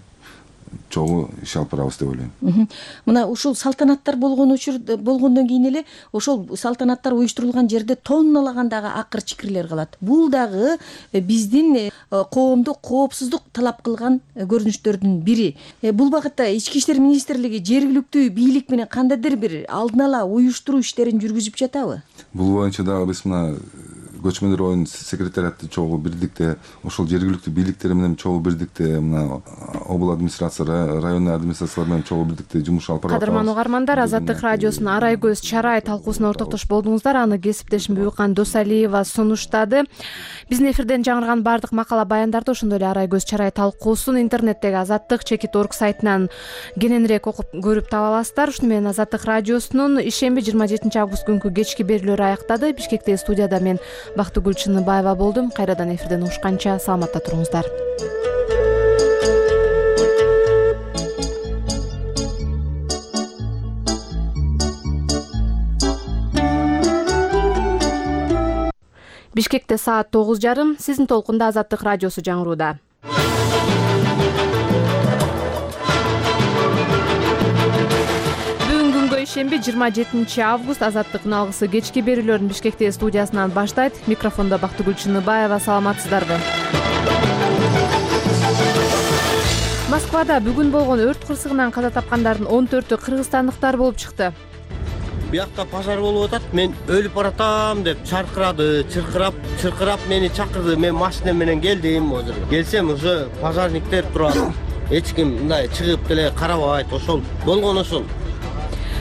чогуу иш алып барабыз деп ойлойм. Мына ушул салтанаттар болгондон кийин эле ошол салтанаттар уюштурулган жерде тонналагандагы акыр чикирлер калат. Бул дагы биздин коомду коопсуздук талап кылган көрүнүштөрдүн бири. Бул багытта Ички иштер министрлиги жергиликтүү бийлик менен кандайдыр бир алдын ала уюштуруу иштерин жүргүзүп жатабы? Бул боюнча дагы биз мына көчмөндөр оюнун секретариаты чогуу бирдикте, ошол жергиликтүү бийликтер менен чогуу бирдикте, мына обл администрация, районный администрациялар менен чогуу бирдикте жумуш алып барабыз. Кадырман угармандар, Азаттык радиосунун Арай көз чарай талкуусуна ортоктош болдуңуздар. Аны кесиптешим Бүкан Досалиева сунуштады. Биздин эфирден жаңырган баардык макала баяндарды, ошондой эле Арай көз чарай талкуусун интернеттеги azattik.org сайтынан кененирээк окуп көрүп таба аласыздар. Ушуну менен Азаттык радиосунун ишемби 27 август күнкү кечки берүүлөрү аяктады. Бишкектеги студияда мен Бактыгүл Чыныбаева болдум. Кайрадан эфирден угушканча саламатта туруңуздар. Бишкекте саат 9:30. Сиздин толкунда Азаттык радиосу жаңырууда. Бүгүн күнгө ишемби 27 август Азаттыктын алгысы кечки берүүлөрүн Бишкектеги студиясынан баштайт. Микрофондо Бактыгүл Чыныбаева. Саламатсыздарбы? Москвада бүгүн болгон өрт кырсыгынан каза тапкандардын 14-ү кыргызстандыктар болуп чыкты. Биякта пожар болуп атат. Мен өлүп баратам деп чаркырады, чыркырап мени чакырды. Мен машина менен келдим. Келсем уже пожарниктер турат. Эч ким мындай чыгып деле карабайт. Ошол болгон ошол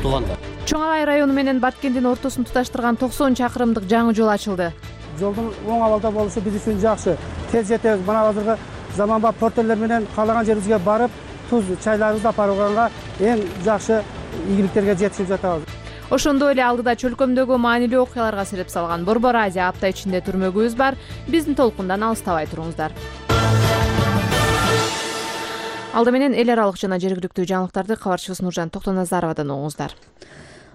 туугандар. Чоң Алай району менен Баткендин ортосун туташтырган 90 чакырымдык жаңы жол ачылды. Жолдун оң абалда болушу биз үчүн жакшы. Тез жетебиз. Мына азыркы заманбап портерлер менен каалаган жерибизге барып, туз чайларыбызды алып барганга эң жакшы ийгиликтерге жетишип жатабыз. Ошондой эле алдыда чөлкөмдөгү маанилүү окуяларга себеп салган Борбор Азия апта ичинде түрмөгүбүз бар. Биздин толкундан алыстабай туруңуздар. Алда менен эл аралык жана жергиликтүү жаңылыктарды кабарчыбыз Нуржан Токтоназаровадан угуңуздар.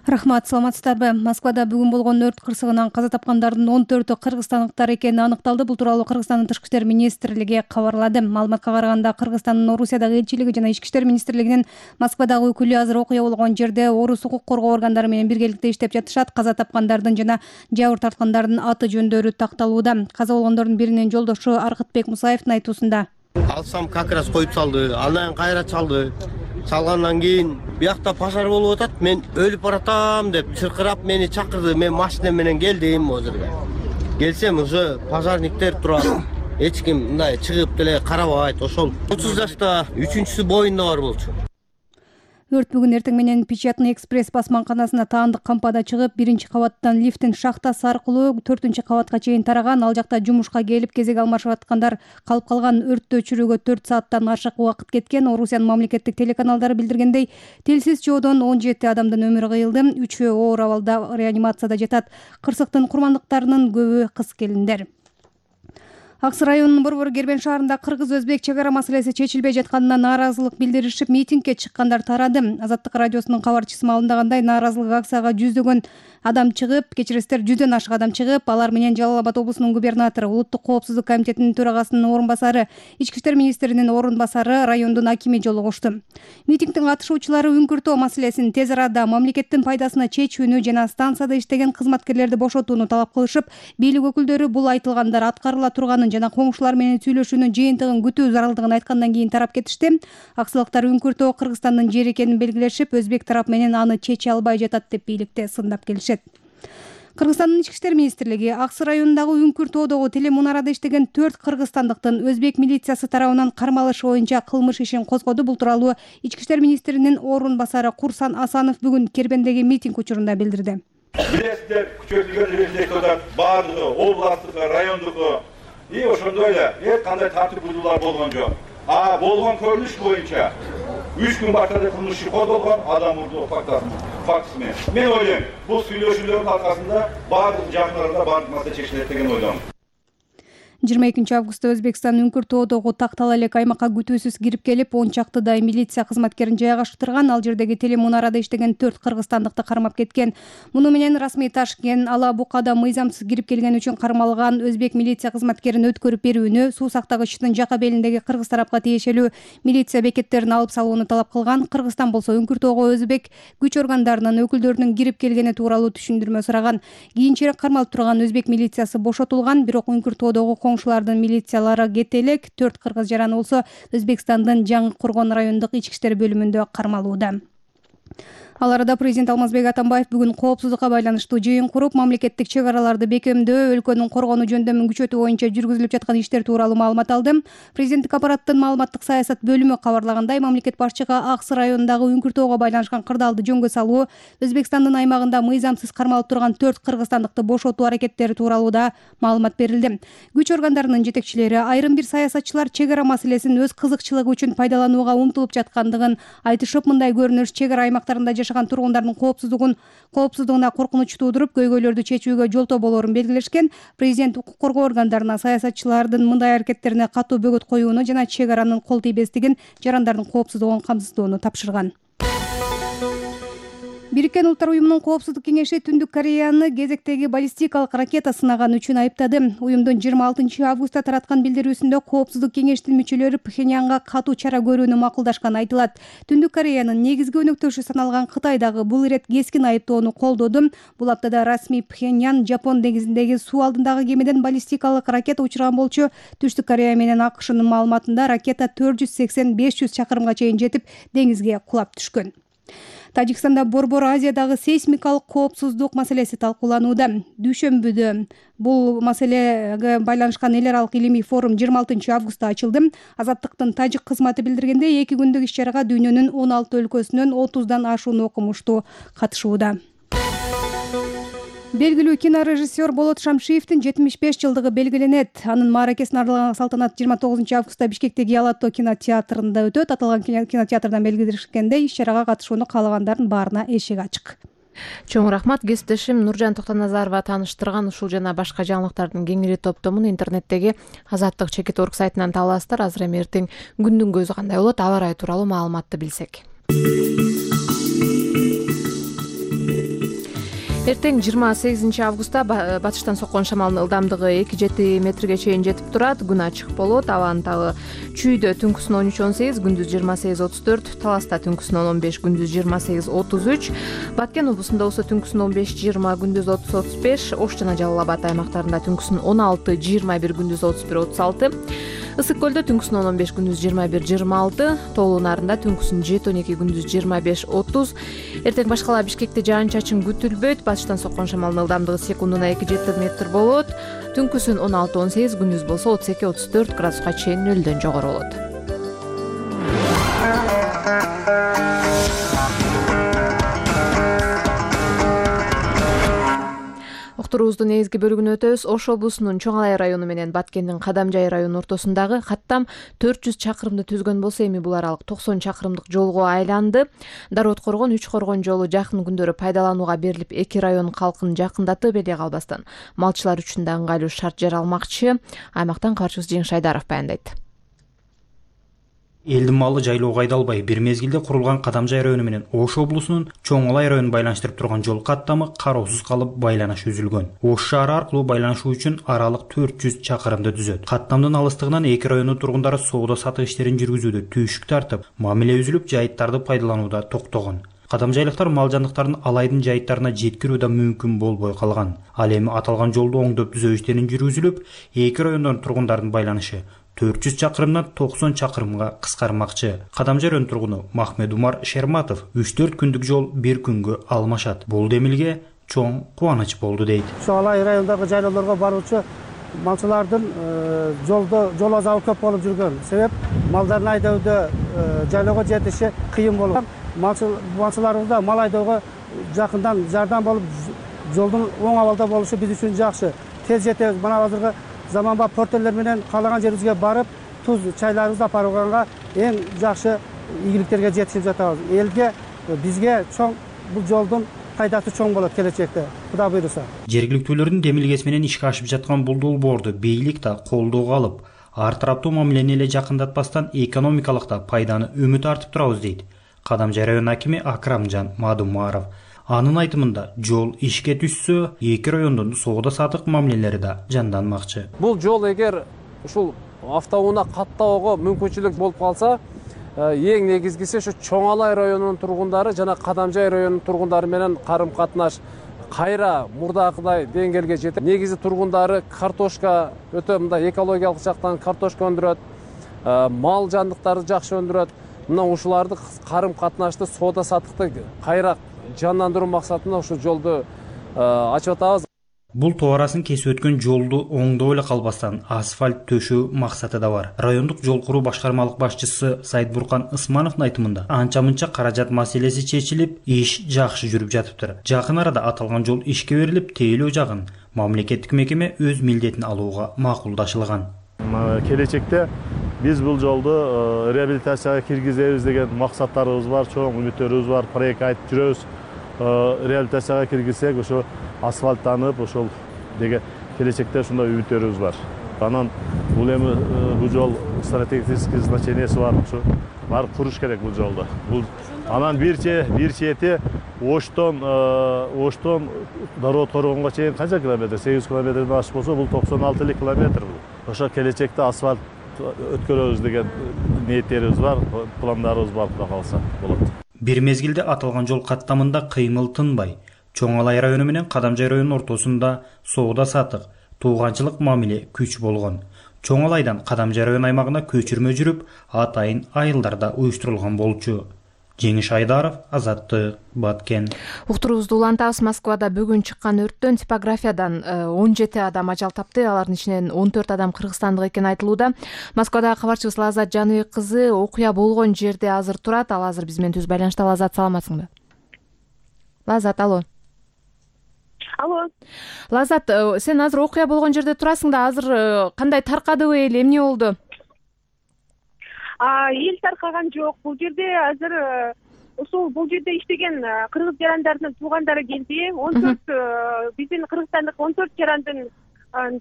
Рахмат, саламатсыздарбы? Москвада бүгүн болгон өрт кырсыгынан каза тапкандардын 14-ü кыргызстандыктар экени аныкталды. Бул тууралуу Кыргызстандын Тышкы иштер министрлиги кабарлады. Маалыматка караганда Кыргызстандын Орусиядагы элчилиги жана Ички иштер министрлигинин Москвадагы өкүлү азыр окуя болгон жерде орус укук коргоо органдары менен биргеликте иштеп жатышат. Каза тапкандардын жана жабыр тарткандардын аты жөндөрү такталууда. Каза болгондордун биринин жолдошу Аркытбек Мусаевдин айтуусунда. Алсам как раз коюп салды, анан кайра чалды. Салгандан кийин биякта пожар болуп атат. Мен өлүп баратам деп чыркырап мени чакырды. Мен машина менен келдим озерге. Келсем уже пожарниктер турат. Эч ким мындай чыгып деле карабайт. Ошол 30 жашта 3-чүсү боюнда бар болчу. Өрт бүгүн эртең менен Печатный экспресс басманканасына таандык кампада чыгып, 1-кабаттан лифттин шахтасы аркылуу 4-кабатка чейин тараган. Ал жакта жумушка келип кезек алмашып аткандар калып калган. Өрттү өчүрүүгө 4 сааттан ашык убакыт кеткен. Орусиянын мамлекеттик телеканалдары билдиргендей, телсиз жоодон 17 адамдын өмүрү кыйылды. 3-өө оор абалда реанимацияда жатат. Кырсыктын курмандыктарынын көбү кыз келиндер. Аксы районунун Борбор Кербен шаарында кыргыз-өзбек чек ара маселеси чечилбей жатканына нааразылык билдиришип, митингге чыккандар тарады. Азаттык радиосунун кабарчысы маалымдагандай, нааразылык акцияга жүздөгөн адам чыгып, кечиресиздер 100дөн ашык адам чыгып, алар менен Жалал Абад облусунун губернатору, Улуттук коопсуздук комитетинин төрагасынын орун басары, Ички иштер министринин орун басары, райондун акими жолугушту. Митингдин катышуучулары үңкүртөө маселесин тез арада мамлекеттин пайдасына чечүүнү жана станцияда иштеген кызматкерлерди бошотууну талап кылышып, бийлик өкүлдөрү бул айтылгандар аткарыла турганын жана коңшулар менен сүйлөшүүнүн жыйынтыгын күтүү зарылдыгын айткандан кийин тарап кетишти. Аксылыктар үңкүртөө Кыргызстандын жери экенин белгилешип, өзбек тарап менен аны чече албай жатат деп бийликте сындап келишет. Кыргызстандын Ички иштер министрлиги Аксы районундагы үңкүртөөдөгү телемунарада иштеген 4 кыргызстандыктын өзбек милициясы тарабынан кармалышы боюнча кылмыш ишин козгоду. Бул тууралуу Ички иштер министринин орун басары Курсан Асанов бүгүн Кербендеги митинг учурунда билдирди. Билесиздер, күчөтүлгөн университеттер баардыгы областтык, райондук и ошондой эле эч кандай тартип бузуулар болгон жок. Болгон көрүнүш боюнча 3 күн баштап кылмыш иши козголгон, адам урдоо фактысы менен. Мен ойлойм, бул сүйлөшүүлөрдүн аркасында баардык жагдарда баардык маселе чечилет деген ойлойм. 22 августта Өзбекстан Үңкүр тоодогу Тактал элек аймакка күтүүсүз кирип келип, 10 чактыдай милиция кызматкерин жайгаштырган. Ал жердеги телемунарада иштеген 4 кыргызстандыкты кармап кеткен. Муну менен расмий Ташкент Ала Букада мыйзамсыз кирип келген үчүн кармалган өзбек милиция кызматкерин өткөрүп берүүнү, суу сактагычтын жака белиндеги кыргыз тарапка тиешелүү милиция бекеттерин алып салууну талап кылган. Кыргызстан болсо Үңкүр тоого өзбек күч органдарынын өкүлдөрүнүн кирип келгени тууралуу түшүндүрмө сураган. Кийинчерээк кармалып турган өзбек милициясы бошотулган, бирок Үңкүр тоодогу коңшулардын милициялары кете элек 4 кыргыз жараны болсо Өзбекстандын Жаңы Коргон райондук ички иштер бөлүмүндө кармалууда. Ал арада президент Алмазбек Атамбаев бүгүн коопсуздукка байланыштуу жыйын куруп, мамлекеттик чек араларды бекемдөө, өлкөнүн коргонуу жөндөмүн күчөтүү боюнча жүргүзүлүп жаткан иштер тууралуу маалымат алды. Президенттик аппараттын маалыматтык саясат бөлүмү кабарлагандай, мамлекет башчыга Аксы районундагы Үңкүр тоого байланышкан кырдаалды жөнгө салуу, Өзбекстандын аймагында мыйзамсыз кармалып турган 4 кыргызстандыкты бошотуу аракеттери тууралуу да маалымат берилди. Күч органдарынын жетекчилери айрым бир саясатчылар чек ара маселесин өз кызыкчылыгы үчүн пайдаланууга умтулуп жаткандыгын айтышып, мындай көрүнүш чек ара аймактарында жашаган тургундардын коопсуздугуна коркунуч туудуруп, көйгөйлөрдү чечүүгө жолтоо болоорун белгилешкен. Президент укук коргоо органдарына саясатчылардын мындай аракеттерине катуу бөгөт коюуну жана чек аранын кол тийбестигин, жарандардын коопсуздугун камсыздоону тапшырган. Бириккен Улуттар уюмунун коопсуздук кеңеши Түндүк Кореяны кезектеги баллистикалык ракета сынаган үчүн айыптады. Уюмдун 26 августта тараткан билдирүүсүндө коопсуздук кеңештин мүчөлөрү Пхеньянга катуу чара көрүүнү макулдашканы айтылат. Түндүк Кореянын негизги өнөктөшү саналган Кытай дагы бул ирет кескин айыптоону колдоду. Бул аптада расмий Пхеньян Жапон деңизиндеги суу алдындагы кемеден баллистикалык ракета учурган болчу. Түштүк Корея менен АКШнын маалыматында ракета 480-500 чакырымга чейин жетип, деңизге кулап түшкөн. Тажикстанда Борбор Азиядагы сейсмикалык коопсуздук маселеси талкууланууда. Дүйшөмбүдө бул маселеге байланышкан эл аралык илимий форум 26 августта ачылды. Азаттыктын тажик кызматы билдиргендей, 2 күндүк иш-чарага дүйнөнүн 16 өлкөсүнөн 30дан ашуун окумуштуу катышууда. Белгилүү кинорежиссер Болот Шамшиевдин 75 жылдыгы белгиленет. Анын мааракесин аралаган салтанат 29 августта Бишкектеги Алато кинотеатрында өтөт. Аталган кинотеатрдан белгилешкендей, иш-чарага катышууну каалагандардын баарына эшик ачык. Чоң рахмат. Кесиптешим Нуржан Токтоназарова тааныштырган ушул жана башка жаңылыктардын кеңири топтомун интернеттеги Азаттык Чекит.орг сайтынан таба аласыздар. Азыр эми эртең күндүн көзү кандай болот, аба ырайы тууралуу маалыматты билсек. Эртең 28 августта батыштан соккон шамалдын ылдамдыгы 2-7 метрге чейин жетип турат. Күн ачык болот. Абанын табы чүйдө түнкүсүн 13-18, күндүз 28-34, Таласта түнкүсүн 15, күндүз 28-33, Баткен облусунда болсо түнкүсүн 15-20, күндүз 30-35, Ош жана Жалал Абад аймактарында түнкүсүн 16-21, күндүз 31-36, Ысык көлдө түнкүсүн 15, күндүз 21-26, Тоолуу Нарында түнкүсүн 7-12, күндүз 25-30. Эртең башкала Бишкекте жаан-чачын күтүлбөйт. Батыштан соккон шамалдын ылдамдыгы секундуна 2-7 метр болот. Түнкүсүн 16-18, күндүз болсо 32-34 градуска чейин нөлдөн жогору болот. Уктуруубуздун негизги бөлүгүнө өтөбүз. Ош облусунун Чоң Алай району менен Баткендин Кадамжай району ортосундагы каттам 400 чакырымды түзгөн болсо, эми бул аралык 90 чакырымдык жолго айланды. Дароот Коргон, Үч Коргон жолу жакын күндөрү пайдаланууга берилип, эки район калкын жакындатып эле калбастан малчылар үчүн да ыңгайлуу шарт жаралмакчы. Аймактан кабарчыбыз Жеңиш Айдаров баяндайт. Элдин малы жайлоого айдалбай, бир мезгилде курулган Кадамжай району менен Ош облусунун Чоң Алай районун байланыштырып турган жол каттамы кароосуз калып, байланыш үзүлгөн. Ош шаары аркылуу байланышуу үчүн аралык 400 чакырымды түзөт. Каттамдын алыстыгынан эки райондун тургундары соода сатык иштерин жүргүзүүдө түйшүк тартып, мамиле үзүлүп, жайыттарды пайдаланууда токтогон. Кадамжайлыктар мал жандыктарын Алайдын жайыттарына жеткирүү да мүмкүн болбой калган. Ал эми аталган жолду оңдоп түзөө иштерин жүргүзүлүп, эки райондун тургундардын байланышы 400 чакырымдан 90 чакырымга кыскармакчы. Кадамжай районунун тургуну Махмед Умар Шерматов 3-4 күндүк жол бир күнгө алмашат. Бул демилге чоң кубаныч болду дейт. Чоң Алай районундагы жайлоолорго баруучу малчылардын жол азабы көп болуп жүргөн. Себеп малдарын айдоодо жайлоого жетиши кыйын болуп, малчыларыбызда мал айдоого жакындан жардам болуп, жолдун оң абалда болушу биз үчүн жакшы. Тез жетебиз. Мына азыркы заманбап портерлер менен каалаган жерибизге барып, туз чайларыбызды апарганга эң жакшы ийгиликтерге жетишип жатабыз. Элге, бизге чоң бул жолдун пайдасы чоң болот келечекте, Кудай буйруса. Жергиликтүүлөрдүн демилгеси менен ишке ашып жаткан бул долбоорду бийлик да колдоого алып, ар тараптуу мамилени эле жакындатпастан экономикалык да пайданы үмүт артып турабыз дейт Кадамжай район акими Акрамжан Мадумаров. Анын айтымында жол ишке түшсө, эки райондун соода саттык мамилелери да жанданмакчы. Бул жол эгер ушул автоунаа каттоого мүмкүнчүлүк болуп калса, эң негизгиси ушу Чоң Алай районунун тургундары жана Кадамжай районунун тургундары менен карым катнаш кайра мурдакыдай деңгээлге жетет. Негизи тургундары картошка өтө мындай экологиялык жактан картошка өндүрөт, мал жандыктарды жакшы өндүрөт. Мына ушуларды карым катнашты, соода саттыкты кайра жандандыруу максатында ушул жолду ачып атабыз. Бул тоо арасын кесип өткөн жолду оңдоп эле калбастан асфальт төшөө максаты да бар. Райондук жол куруу башкармалык башчысы Сайдбуркан Ысмановдун айтымында анча-мынча каражат маселеси чечилип, иш жакшы жүрүп жатыптыр. Жакын арада аталган жол ишке берилип, тейлөө жагын мамлекеттик мекеме өз милдетин алууга макулдашылган. Келечекте биз бул жолду реабилитацияга киргизебиз деген максаттарыбыз бар, чоң үмүттөрүбүз бар, проект айтып жүрөбүз. Реабилитацияга киргизсек, ошо асфальттанып, ошол деген келечекте ушундай үмүттөрүбүз бар. Анан бул эми бул жол стратегический значенияси бар, ошо барып куруш керек бул жолду. Бул анан бир чети Оштон Дород Коргонго чейин канча километр? 8 километрден ашык болсо, бул 96 километр бул. Ошо келечекте асфальт өткөрөбүз деген ниеттерибиз бар, пландарыбыз бар, Кудай кааласа болот. Бир мезгилде аталган жол каттамында кыймыл тынбай, Чоң Алай району менен Кадамжай районунун ортосунда соода саттык, тууганчылык мамиле күч болгон. Чоң Алайдан Кадамжай район аймагына көчүрмө жүрүп, атайын айылдарда уюштурулган болчу. Жеңиш Айдаров, Азаттык, Баткен. Уктурубузду улантабыз. Москвада бүгүн чыккан өрттөн типографиядан 17 адам ажал тапты. Алардын ичинен 14 адам кыргызстандык экени айтылууда. Москвадагы кабарчыбыз Лазат Жаныбек кызы окуя болгон жерде азыр турат. Ал азыр биз менен түз байланышта. Лазат, саламатсыңбы? Лазат, алло. Алло. Лазат, сен азыр окуя болгон жерде турасың да, азыр кандай таркадыбы эл, эмне болду? Эл таркаган жок. Бул жерде азыр бул жерде иштеген кыргыз жарандардын туугандары келди. 14 биздин кыргызстандык 14 жарандын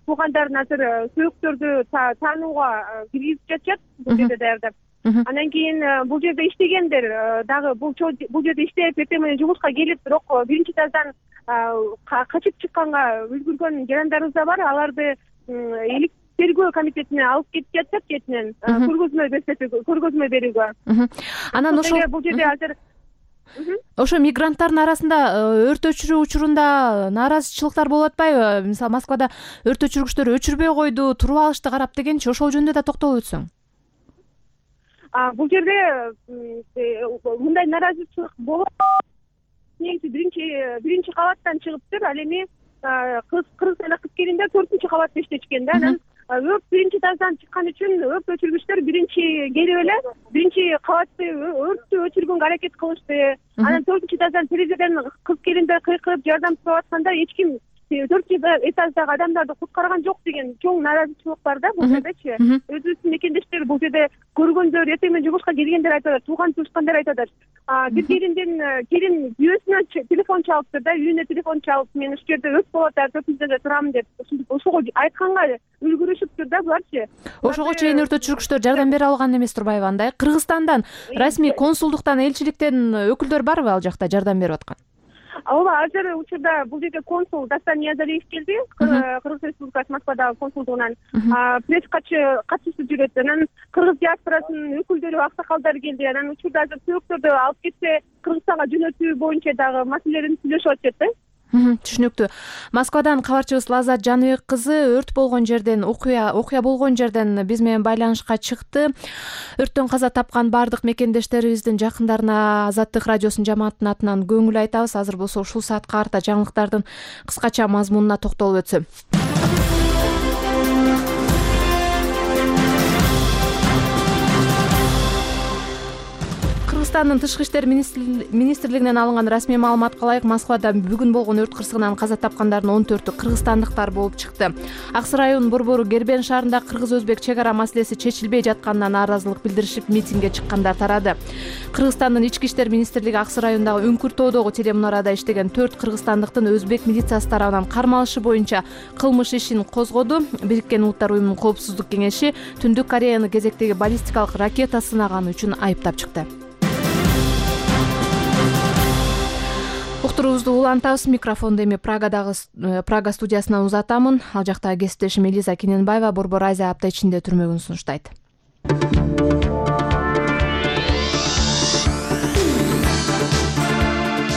туугандарын азыр сөөктөрдү таанууга киргизип жатышат бул жерде даярдап. Андан кийин бул жерде иштегендер дагы бул жерде иштеп эртең менен жумушка келип, бирок биринчи этаждан качып чыкканга үлгүргөн жарандарыбыз да бар. Аларды тергөө комитетине алып кетип жатышат кетинен көргөзмө берүүгө. Анан бул жерде азыр ошо мигранттардын арасында өрт өчүрүү учурунда нааразычылыктар болуп атпайбы? Мисалы, Москвада өрт өчүргүчтөр өчүрбөй койду, туруп алышты карап дегенчи, ошол жөнүндө да токтолуп өтсөң. Бул жерде мындай нааразычылык болот. Негизи биринчи кабаттан чыгыптыр. Ал эми кыргызстандык кыз келиндер 4-кабатта иштешкен да. Анан өрт биринчи этаждан чыккан үчүн өрт өчүргүчтөр биринчи келип эле биринчи кабатты өрттү өчүргөнгө аракет кылышты. Анан 4-этаждан терезеден кыз келиндер кыйкырып жардам сурап атканда эч ким 4-этаждагы адамдарды куткарган жок деген чоң нааразычылык бар да бул жердечи. Өзүбүздүн мекендештер бул жерде көргөндөр, эртең менен жумушка келгендер айтат, тууган туушкандар айтат. Бир келин күйөөсүнөн телефон чалыптыр да, үйүнө телефон чалып, мен ушул жерде өрт болуп атат, 4-этажда турам деп, ошого айтканга үлгүрүшүптүр да буларчы. Ошого чейин өрт өчүргүчтөр жардам бере алган эмес турбайбы андай? Кыргызстандан, расмий консулдуктан, элчиликтен өкүлдөр барбы ал жакта жардам берип аткан? Ооба, азыр учурда бул жерге консул Дастан Ниязалиев келди, Кыргыз Республикасы Москвадагы консулдугунан. Пресс катчысы жүрөт. Анан кыргыз диаспорасынын өкүлдөрү, аксакалдары келди. Анан учурда азыр сөөктөрдү алып кетсе, Кыргызстанга жөнөтүү боюнча дагы маселелерин сүйлөшүп атышат да. Түшүнүктүү. Москвадан кабарчыбыз Лазат Жаныбек кызы өрт болгон жерден, окуя болгон жерден биз менен байланышка чыкты. Өрттөн каза тапкан бардык мекендештерибиздин жакындарына Азаттык радиосунун жамаатынын атынан көңүл айтабыз. Азыр болсо ушул саатка карата жаңылыктардын кыскача мазмунуна токтолуп өтсөм. Кыргызстандын тышкы иштер министрлигинен алынган расмий маалыматка ылайык Москвада бүгүн болгон өрт кырсыгынан каза тапкандардын 14-ү кыргызстандыктар болуп чыкты. Аксы районунун борбору Гербен шаарында кыргыз-өзбек чек ара маселеси чечилбей жатканына нааразылык билдиришип митингге чыккандар тарады. Кыргызстандын ички иштер министрлиги Аксы районундагы Үңкүр-тоодогу телемунарада иштеген 4 кыргызстандыктын өзбек милициясы тарабынан кармалышы боюнча кылмыш ишин козгоду. Бириккен Улуттар уюмунун коопсуздук кеңеши Түндүк Кореяны кезектеги баллистикалык ракета сынаганы үчүн айыптап чыкты. Уктуруубузду улантабыз. Микрофонду эми Прага студиясынан узатамын. Ал жакта кесиптешим Элиза Кененбаева Борбор Азия апта ичинде түрмөгүн сунуштайт.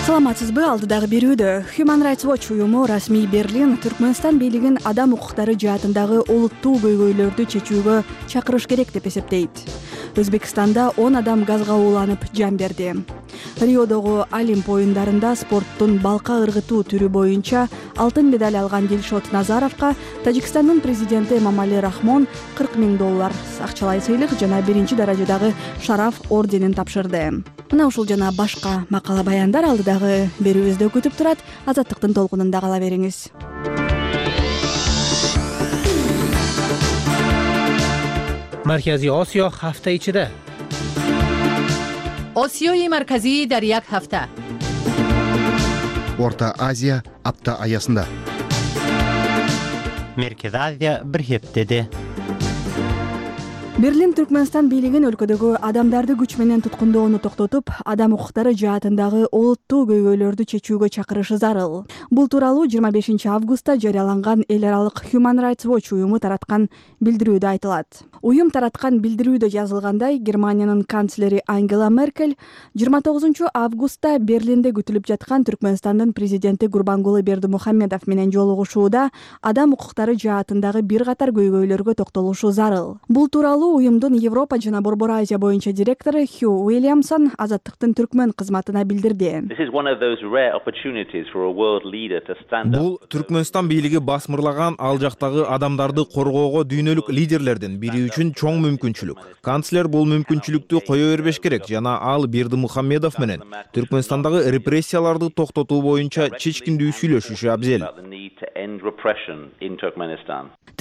Саламатсызбы? Алдыдагы берүүдө Human Rights Watch уюму расмий Берлин Түркмөнстан бийлигин адам укуктары жаатындагы олуттуу көйгөйлөрдү чечүүгө чакырыш керек деп эсептейт. Өзбекстанда 10 адам газга ууланып жан берди. Риодогу Олимп оюндарында спорттун балка ыргытуу түрү боюнча алтын медаль алган Дилшот Назаровго Тажикстандын президенти Эмомали Рахмон $40,000 акчалай сыйлык жана биринчи даражадагы шараф орденин тапшырды. Мына ушул жана башка макала баяндар алдыдагы берүүбүздө күтүп турат. Азаттыктын толкунунда кала бериңиз. Маркази Осиё ҳафта ичида. Осиёи марказӣ дар як ҳафта. Орта Азия апта аясында. Меркези Азия бир хептеде. Берлин Түркмөнстан бийлигин өлкөдөгү адамдарды күч менен туткундоону токтотуп, адам укуктары жаатындагы олуттуу көйгөйлөрдү чечүүгө чакырышы зарыл. Бул тууралуу 25 августта жарыяланган эл аралык Human Rights Watch уюму тараткан билдирүүдө айтылат. Уюм тараткан билдирүүдө жазылгандай, Германиянын канцлери Ангела Меркель 29 августта Берлинде күтүлүп жаткан Түркмөнстандын президенти Гурбангулы Бердимухамедов менен жолугушууда адам укуктары жаатындагы бир катар көйгөйлөргө токтолушу зарыл. Бул тууралуу уюмдун Европа жана Борбор Азия боюнча директору Хью Уильямсон Азаттыктын түркмөн кызматына билдирди. Бул Түркмөнстан бийлиги басмырлаган ал жактагы адамдарды коргоого дүйнөлүк лидерлердин бири үчүн чоң мүмкүнчүлүк. Канцлер бул мүмкүнчүлүктү кое бербеш керек жана ал Бердимухамедов менен Түркмөнстандагы репрессияларды токтотуу боюнча чечкиндүү сүйлөшүшү абзел.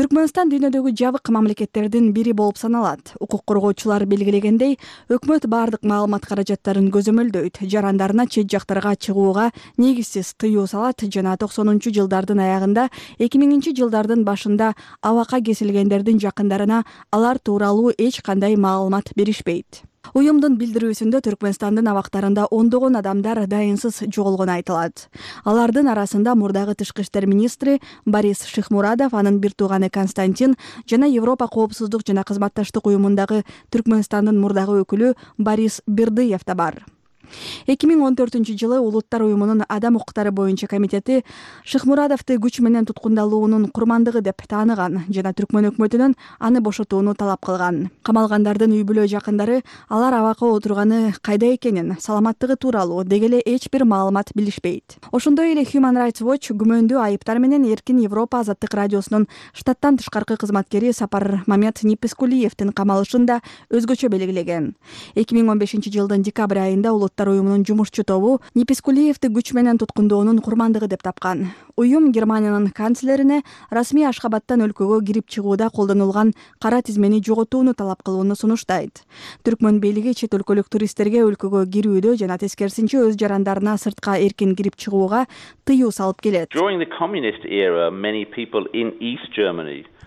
Түркмөнстан дүйнөдөгү жабык мамлекеттердин бири болуп саналат. Укук коргоочулар белгилегендей, өкмөт бардык маалымат каражаттарын көзөмөлдөйт, жарандарына чет жактарга чыгууга негизсиз тыюу салат жана 90-жылдардын аягында, 2000-жылдардын башында абакка кесилгендердин жакындарына алар тууралуу эч кандай маалымат беришпейт. Уюмдун билдирүүсүндө Түркмөнстандын абактарында ондогон адамдар дайынсыз жоголгону айтылат. Алардын арасында мурдагы тышкы иштер министри Борис Шихмурадов, анын бир тууганы Константин жана Европа коопсуздук жана кызматташтык уюмундагы Түркмөнстандын мурдагы өкүлү Борис Бердыев да бар. 2014-жылы Улуттар уюмунун адам укуктары боюнча комитети Шихмурадовду күч менен туткундалуунун курмандыгы деп тааныган жана Түркмөн өкмөтүнөн аны бошотууну талап кылган. Камалгандардын үй бүлө жакындары алар абакка отурганы кайда экенин, саламаттыгы тууралуу деги эле эч бир маалымат билишпейт. Ошондой эле Human Rights Watch күмөндүү айыптар менен Эркин Европа азаттык радиосунун штаттан тышкаркы кызматкери Сапар Мамет Нипескулиевдин камалышын да өзгөчө белгилеген. 2015-жылдын декабрь айында Улуттар уюмунун жумушчу тобу Нипескулиевди күч менен туткундоонун курмандыгы деп тапкан. Уюм Германиянын канцлерине расмий Ашхабадтан өлкөгө кирип чыгууда колдонулган кара тизмени жоготууну талап кылууну сунуштайт. Түркмөн бийлиги чет өлкөлүк туристтерге өлкөгө кирүүдө жана тескерисинче өз жарандарына сыртка эркин кирип чыгууга тыюу салып келет.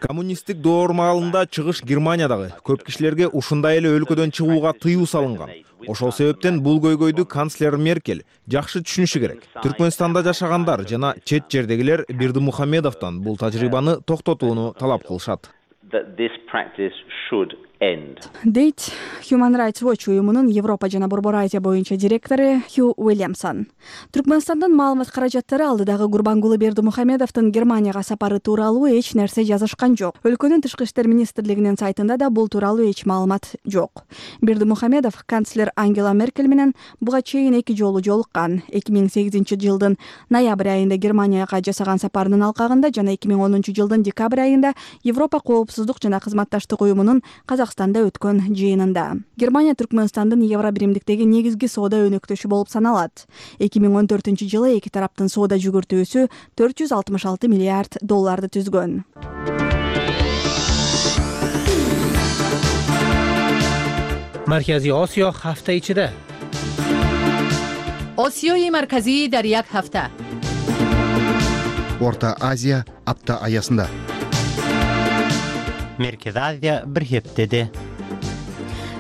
Коммунисттик доор маалында чыгыш Германиядагы көп кишилерге ушундай эле өлкөдөн чыгууга тыюу салынган. Ошол себептен бул көйгөйдү канцлер Меркель жакшы түшүнүшү керек. Түркмөнстанда жашагандар жана чет жердегилер Бердимухамедовдон бул тажрыйбаны токтотууну талап кылышат. Дейт Human Rights Watch уюмунун Европа жана Борбор Азия боюнча директору Хью Уильямсон. Түркмөнстандын маалымат каражаттары алдыдагы Гурбангулы Бердимухамедовдун Германияга сапары тууралуу эч нерсе жазышкан жок. Өлкөнүн тышкы иштер министрлигинин сайтында да бул тууралуу эч маалымат жок. Бердимухамедов канцлер Ангела Меркель менен буга чейин 2 жолу жолуккан. 2008-жылдын ноябрь айында Германияга жасаган сапарынын алкагында жана 2010-жылдын декабрь айында Европа коопсуздук жана кызматташтык уюмунун Казакстанда өткөн жыйынында. Германия Түркмөнстандын Евро биримдиктеги негизги соода өнөктөшү болуп саналат. 2014-жылы эки тараптын соода жүгүртүүсү $466 миллиард түзгөн. Марказий Осиё ҳафта ичида. осиёи марказӣ дар як ҳафта. Орта Азия апта аясында. Меркез Азия бир хептеде.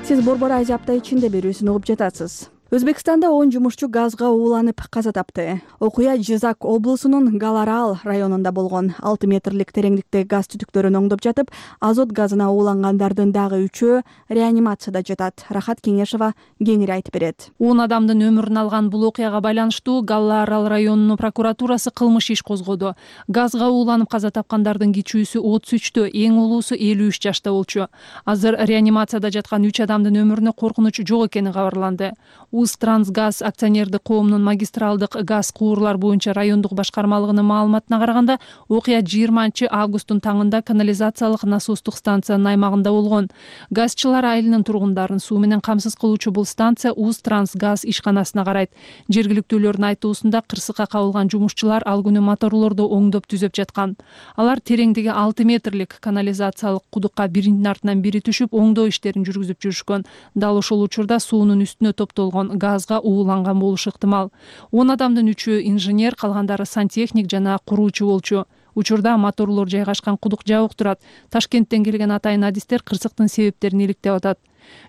Сиз Борбор Азия апта ичинде берүүсүн угуп жатасыз. Өзбекстанда 10 жумушчу газга ууланып каза тапты. Окуя Жизак облусунун Галарал районунда болгон. 6 метрлик тереңдикте газ түтүктөрүн оңдоп жатып, азот газына уулангандардын дагы 3-өө реанимацияда жатат. Рахат Кеңешова кеңири айтып берет. 10 адамдын өмүрүн алган бул окуяга байланыштуу Галарал районунун прокуратурасы кылмыш иш козгоду. Газга ууланып каза тапкандардын кичүүсү 33-тө, эң улуусу 53 жашта болчу. Азыр реанимацияда жаткан 3 адамдын өмүрүнө коркунуч жок экени кабарланды. Трансгаз акционердик коомунун магистралдык газ куурлар боюнча райондук башкармалыгынын маалыматына караганда, окуя 20 августтун таңында канализациялык насостук станциянын аймагында болгон. Газчылар айылынын тургундарын суу менен камсыз кылуучу бул станция Уз Трансгаз ишканасына карайт. Жергиликтүүлөрдүн айтуусунда кырсыкка кабылган жумушчулар ал күнү моторлорду оңдоп түзөп жаткан. Алар тереңдиги 6 метрлик канализациялык кудукка биринин артынан бири түшүп, оңдоо иштерин жүргүзүп жүрүшкөн. Дал ошол учурда суунун үстүнө топтолгон газга ууланган болушу ыктымал. 10 адамдын 3-өө инженер, калгандары сантехник жана куруучу болчу. Учурда моторлор жайгашкан кудук жабык турат. Ташкенттен келген атайын адистер кырсыктын себептерин иликтеп атат.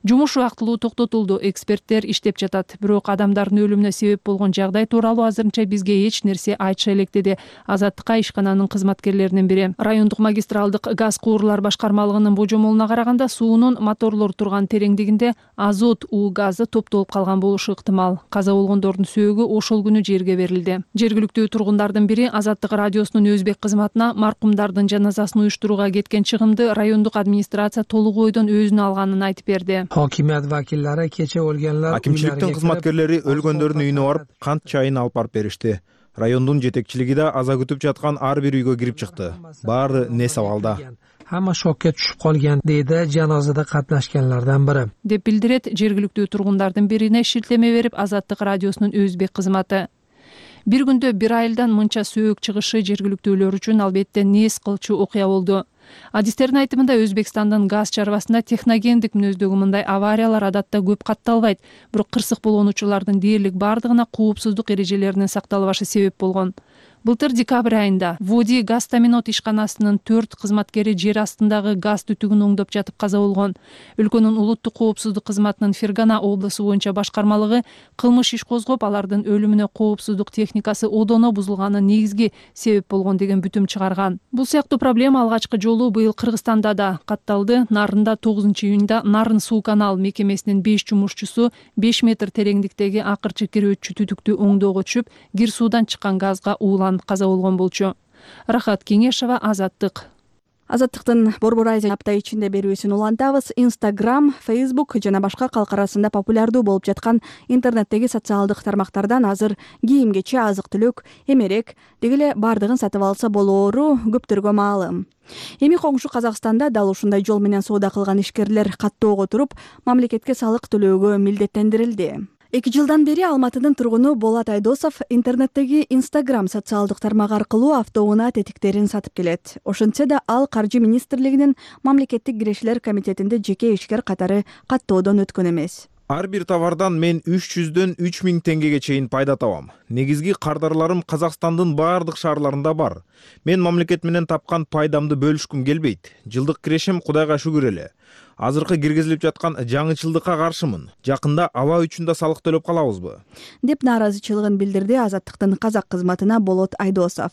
Жумуш убактылуу токтотулду, эксперттер иштеп жатат. Бирок адамдардын өлүмүнө себеп болгон жагдай тууралуу азырынча бизге эч нерсе айтыша элек, деди Азаттыкка ишкананын кызматкерлеринин бири. Райондук магистралдык газ куурлар башкармалыгынын божомолуна караганда, суунун моторлор турган тереңдигинде азот уу газы топтолуп калган болушу ыктымал. Каза болгондордун сөөгү ошол күнү жерге берилди. Жергиликтүү тургундардын бири Азаттык радиосунун өзбек кызматына маркумдардын жаназасын уюштурууга кеткен чыгымды райондук администрация толук ойдон өзүнө алганын айтып берди. Hokimiyat vakillari kecha o'lganlar Акимчиликтин кызматкерлери өлгөндөрдүн үйүнө барып, кант чайын алып барып беришти. Райондун жетекчилиги да аза күтүп жаткан ар бир үйгө кирип чыкты. Баары нес абалда. Hamma shokka tushib qolgan, deydi janozada qatnashganlardan biri. Деп билдирет жергиликтүү тургундардын бирине шилтеме берип Азаттык радиосунун өзбек кызматы. Бир күндө бир айылдан мынча сөөк чыгышы жергиликтүүлөр үчүн албетте нес кылчу окуя болду. Адистердин айтымында Өзбекстандын газ чарбасында техногендик мүнөздөгү мындай авариялар адатта көп катталбайт, бирок кырсык болгон учурлардын дээрлик бардыгына коопсуздук эрежелеринин сакталбашы себеп болгон. Былтыр декабрь айында Води газ таминот ишканасынын 4 кызматкери жер астындагы газ түтүгүн оңдоп жатып каза болгон. Өлкөнүн улуттук коопсуздук кызматынын Фергана облусу боюнча башкармалыгы кылмыш иш козгоп, алардын өлүмүнө коопсуздук техникасы одоно бузулганы негизги себеп болгон деген бүтүм чыгарган. Бул сыяктуу проблема алгачкы жолу быйыл Кыргызстанда да катталды. Нарында 9-июнда Нарын суу канал мекемесинин 5 жумушчусу 5 метр тереңдиктеги акырчы кирөөчү түтүктү оңдоого түшүп, кир суудан чыккан газга ууланып каза болгон болчу. Рахат Кеңешова, Азаттык. Азаттыктын Борбор Азия апта ичинде берүүсүн улантабыз. Instagram, Facebook жана башка калк арасында популярдуу болуп жаткан интернеттеги социалдык тармактардан азыр кийим-кечи, азык-түлүк, эмерек деги эле бардыгын сатып алса болоору көптөргө маалым. Эми коңшу Казакстанда дал ушундай жол менен соода кылган ишкерлер каттоого туруп, мамлекетке салык төлөөгө милдеттендирилди. 2 жылдан бери Алматынын тургуну Болот Айдосов интернеттеги Instagram социалдык тармагы аркылуу автоунаа тетиктерин сатып келет. Ошентсе да ал Каржы министрлигинин мамлекеттик кирешилер комитетинде жеке ишкер катары каттоодон өткөн эмес. Ар бир товардан мен 300дөн 3000 теңгеге чейин пайда табам. Негизги кардарларым Казакстандын баардык шаарларында бар. Мен мамлекет менен тапкан пайдамды бөлүшкүм келбейт. Жылдык кирешим Кудайга шүгүр эле. Азыркы киргизилип жаткан жаңычылдыкка каршымын. Жакында аба үчүн да салык төлөп калабызбы? Деп нааразычылыгын билдирди Азаттыктын казак кызматына Болот Айдосов.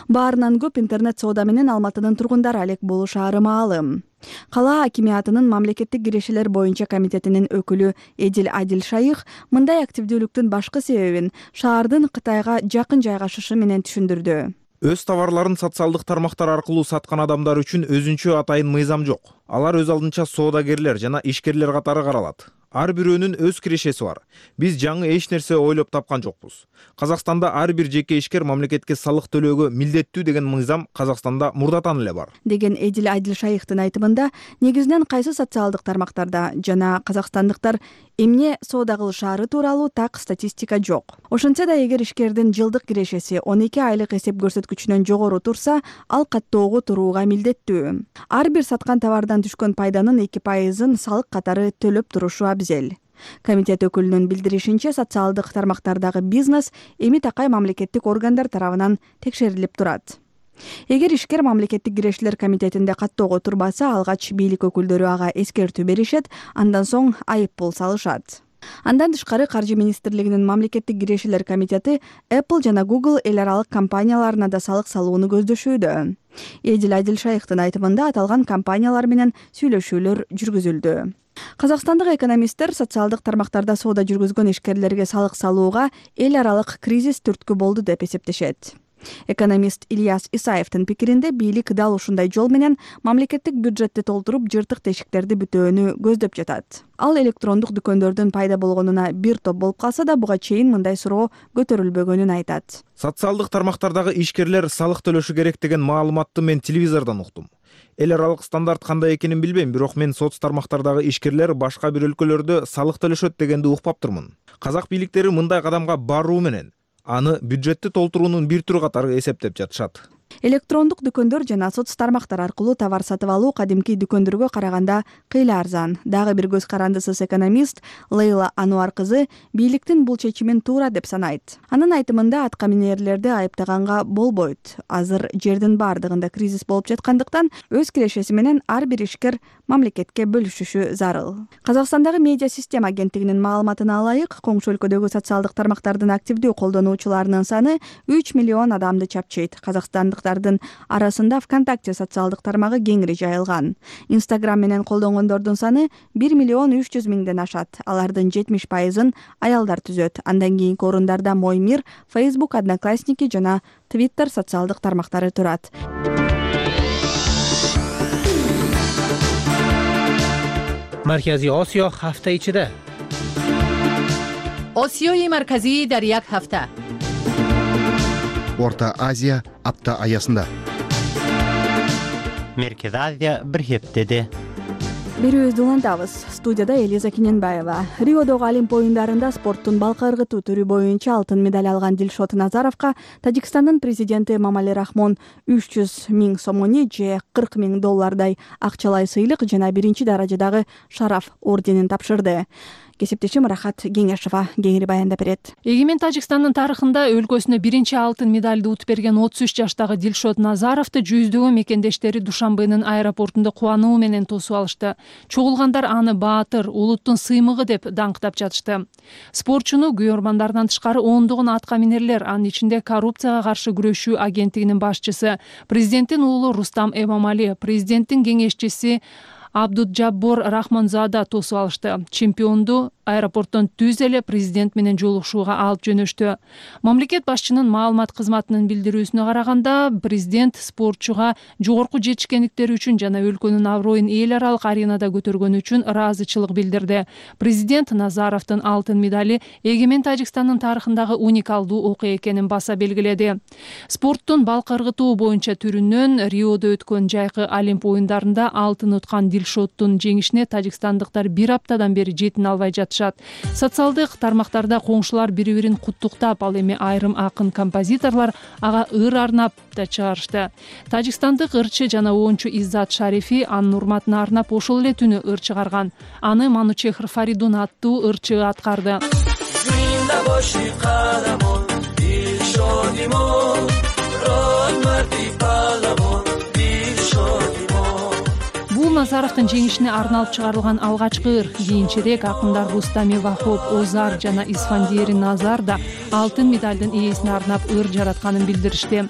Баарынан көп интернет соода менен Алматынын тургундары алек болушаары маалым. Кала акимиятынын мамлекеттик кирешилер боюнча комитетинин өкүлү Эдил Адил Шайых мындай активдүүлүктүн башкы себебин шаардын Кытайга жакын жайгашышы менен түшүндүрдү. Өз товарларын социалдык тармактар аркылуу саткан адамдар үчүн өзүнчө атайын мыйзам жок. Алар өз алдынча соодагерлер жана ишкерлер катары каралат. ар бирөөнүн өз кирешеси бар. Биз жаңы эч нерсе ойлоп тапкан жокпуз. Казакстанда ар бир жеке ишкер мамлекетке салык төлөөгө милдеттүү деген мыйзам Казакстанда мурдатан эле бар. Деген Эдил Айдилшайыктын айтымында, негизинен кайсы социалдык тармактарда жана казакстандыктар эмне соода кылышаары тууралуу так статистика жок. Ошентсе да эгер ишкердин жылдык кирешеси 12 айлык эсеп көрсөткүчүнөн жогору турса, ал каттоого турууга милдеттүү. Ар бир саткан товардан түшкөн пайданын 2%-ын салык катары төлөп турушу абзел. Комитет өкүлүнүн билдиришинче, социалдык тармактардагы бизнес эми такай мамлекеттик органдар тарабынан текшерилип турат. Эгер ишкер мамлекеттик кирешилер комитетинде каттоого турбаса, алгач бийлик өкүлдөрү ага эскертүү беришет, андан соң айып пул салышат. Андан тышкары Каржы министрлигинин мамлекеттик кирешилер комитети Apple жана Google эл аралык компанияларына да салык салууну көздөшүүдө. Эдил Айдилшайыктын айтымында, аталган компаниялар менен сүйлөшүүлөр жүргүзүлдү. Казакстандык экономисттер социалдык тармактарда соода жүргүзгөн ишкерлерге салык салууга эл аралык кризис түрткү болду деп эсептешет. Экономист Ильяс Исаевдин пикиринде, бийлик дал ушундай жол менен мамлекеттик бюджетти толтуруп, жыртык тешиктерди бүтөөнү көздөп жатат. Ал электрондук дүкөндөрдүн пайда болгонуна бир топ болуп калса да, буга чейин мындай суроо көтөрүлбөгөнүн айтат. Социалдык тармактардагы ишкерлер салык төлөшү керек деген маалыматты мен телевизордон уктум. Эл аралык стандарт кандай экенин билбейм, бирок мен соц тармактардагы ишкерлер башка бир өлкөлөрдө салык төлөшөт дегенди укпаптырмын. Казак бийликтери мындай кадамга баруу менен аны бюджетти толтуруунун бир түрү катары эсептеп жатышат. Электрондук дүкөндөр жана соц тармактар аркылуу товар сатып алуу кадимки дүкөндөргө караганда кыйла арзан. Дагы бир көз карандысыз экономист Лейла Ануар кызы бийликтин бул чечимин туура деп санайт. Анын айтымында, атка минерлерди айыптаганга болбойт. Азыр жердин бардыгында кризис болуп жаткандыктан, өз кирешеси менен ар бир ишкер мамлекетке бөлүшүшү зарыл. Казакстандагы медиа система агенттигинин маалыматына ылайык, коңшу өлкөдөгү социалдык тармактардын активдүү колдонуучуларынын саны 3 миллион адамды чапчыйт. Казакстандыктардын арасында ВКонтакте социалдык тармагы кеңири жайылган. Инстаграм менен колдонгондордун саны 1 миллион 300 миңден ашат. Алардын 70%-ын аялдар түзөт. Андан кийинки орундарда Моймир, Facebook, Одноклассники жана Twitter социалдык тармактары турат. Марказий Осиё ҳафта ичида. осиёи марказӣ дар як ҳафта. Орта Азия апта аясында. Меркез Азия бир хептеде. Берүүбүздү улантабыз. Студияда Элиза Киненбаева. Риодогу Олимп оюндарында спорттун балка ыргытуу түрү боюнча алтын медаль алган Дилшот Назаровго Тажикстандын президенти Эмомали Рахмон 300 миң сомони же $40 миң акчалай сыйлык жана биринчи даражадагы шараф орденин тапшырды. Кесиптешим Рахат Кеңешова кеңири баяндап берет. Эгемен Тажикстандын тарыхында өлкөсүнө биринчи алтын медальды утуп берген 33 жаштагы Дилшот Назаровду жүздөгөн мекендештери Душанбенин аэропортунда кубануу менен тосуп алышты. Чогулгандар аны баатыр, улуттун сыймыгы деп даңктап жатышты. Спортчуну күйөрмандардан тышкары ондогон атка минерлер, анын ичинде коррупцияга каршы күрөшүү агенттигинин башчысы, президенттин уулу Рустам Эмомали, президенттин кеңешчиси Абдуджаббор Рахманзада тосуп алышты. Чемпионду аэропорттон түз эле президент менен жолугушууга алып жөнөштү. Мамлекет башчынын маалымат кызматынын билдирүүсүнө караганда, президент спортчуга жогорку жетишкендиктери үчүн жана өлкөнүн аброюн эл аралык аренада көтөргөнү үчүн ыраазычылык билдирди. Президент Назаровдун алтын медали эгемен Тажикстандын тарыхындагы уникалдуу окуя экенин баса белгиледи. Спорттун балка ыргытуу боюнча түрүнөн Риодо өткөн жайкы Олимп оюндарында алтын уткан Дилшоттун жеңишине тажикстандыктар бир аптадан бери жетине албай жатышат. Социалдык тармактарда коңшулар бири-бирин куттуктап, ал эми айрым акын композиторлор ага ыр арнап да чыгарышты. Тажикстандык ырчы жана оончу Иззат Шарифи анын урматына арнап ошол эле түнү ыр чыгарган. Аны Манучехр Фаридун аттуу ырчы аткарды. Бул Назаровдун жеңишине арналып чыгарылган алгачкы ыр. Кийинчерээк акындар Рустами Вахоп, Озар жана Исфандиери Назар да алтын медалдын ээсине арнап ыр жаратканын билдиришти.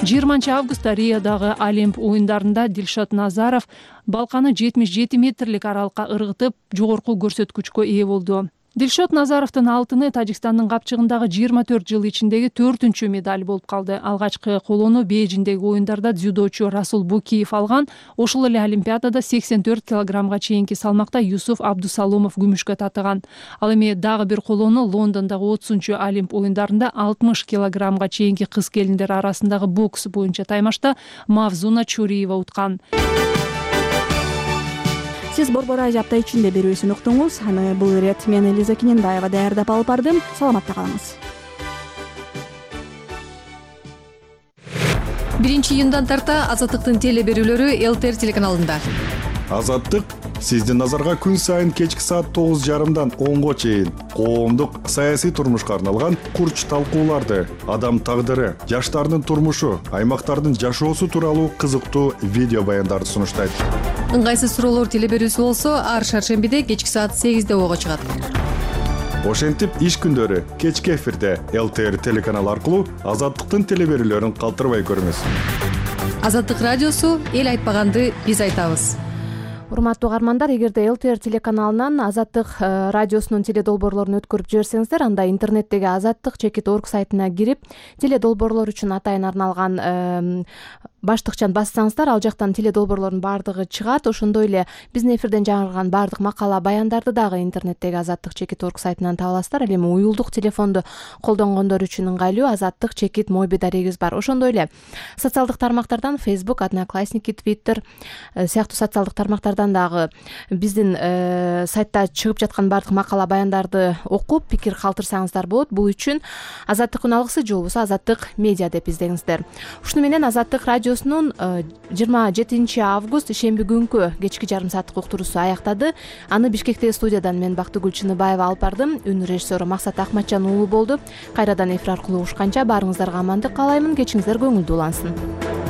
20 августта Риодагы Олимп оюндарында Дилшот Назаров балканы 77 метрлик аралыкка ыргытып, жогорку көрсөткүчкө ээ болду. Дилшот Назаровдун алтыны Тажикстандын капчыгындагы 24 жыл ичиндеги 4-чү медаль болуп калды. Алгачкы колону Бейжиңдеги оюндарда дзюдочу Расул Букиев алган. Ошол эле Олимпиадада 84 килограммга чейинки салмакта Юсуф Абдусаломов күмүшкө татыган. Ал эми дагы бир колону Лондондогу 30-чу Олимп оюндарында 60 килограммга чейинки кыз келиндер арасындагы бокс боюнча таймашта Мавзуна Чуриева уткан. Сиз Борбор Радио апта ичинде берүүсүн уктуңуз. Аны бул ирет мен Элиза Кененбаева даярдап алып бардым. Саламатта калыңыз. 1-июндан тарта Азаттыктын теле берүүлөрү ЛТР телеканалында. Азаттык сиздин назарга күн сайын кечки саат 9:30дан 10го чейин коомдук саясий турмушка арналган курч талкууларды, адам тагдыры, жаштардын турмушу, аймактардын жашоосу тууралуу кызыктуу видео баяндарды сунуштайт. Ыңгайсыз суроолор теле берүүсү болсо, ар шаршембиде кечки саат 8де ого чыгат. Ошентип иш күндөрү кечки эфирде ЛТР телеканалы аркылуу Азаттыктын теле берүүлөрүн калтырбай көрүңүз. Азаттык радиосу эл айтпаганды биз айтабыз. Урматтуу угармандар, эгерде ЛТР телеканалынан Азаттык радиосунун теледолбоорлорун өткөрүп жиберсеңиздер, анда интернеттеги azattik.org сайтына кирип, теледолбоорлор үчүн атайын арналган баштыкчан бассаңыздар, ал жактан теледолбоорлордун баардыгы чыгат. Ошондой эле биздин эфирден жаңырган баардык макала баяндарды дагы интернеттеги azattik.org сайтынан таба аласыздар. Ал эми уюлдук телефонду колдонгондор үчүн ыңгайлуу azattik.mobi дарегибиз бар. Ошондой эле социалдык тармактардан Facebook, Одноклассники, Twitter сыяктуу социалдык тармактардан дагы биздин сайтта чыгып жаткан баардык макала баяндарды окуп, пикир калтырсаңыздар болот. Бул үчүн Азаттыктын алгысы же болбосо Азаттык медиа деп издеңиздер. Ушуну менен Азаттык радиосунун 27 август шемби күнкү кечки жарым сааттык уктуруусу аяктады. Аны Бишкектеги студиядан мен Бактыгүл Чыныбаева алып бардым. Үн режиссеру Максат Акматжан уулу болду. Кайрадан эфир аркылуу угушканча баарыңыздарга амандык каалаймын. Кечиңиздер көңүлдүү улансын.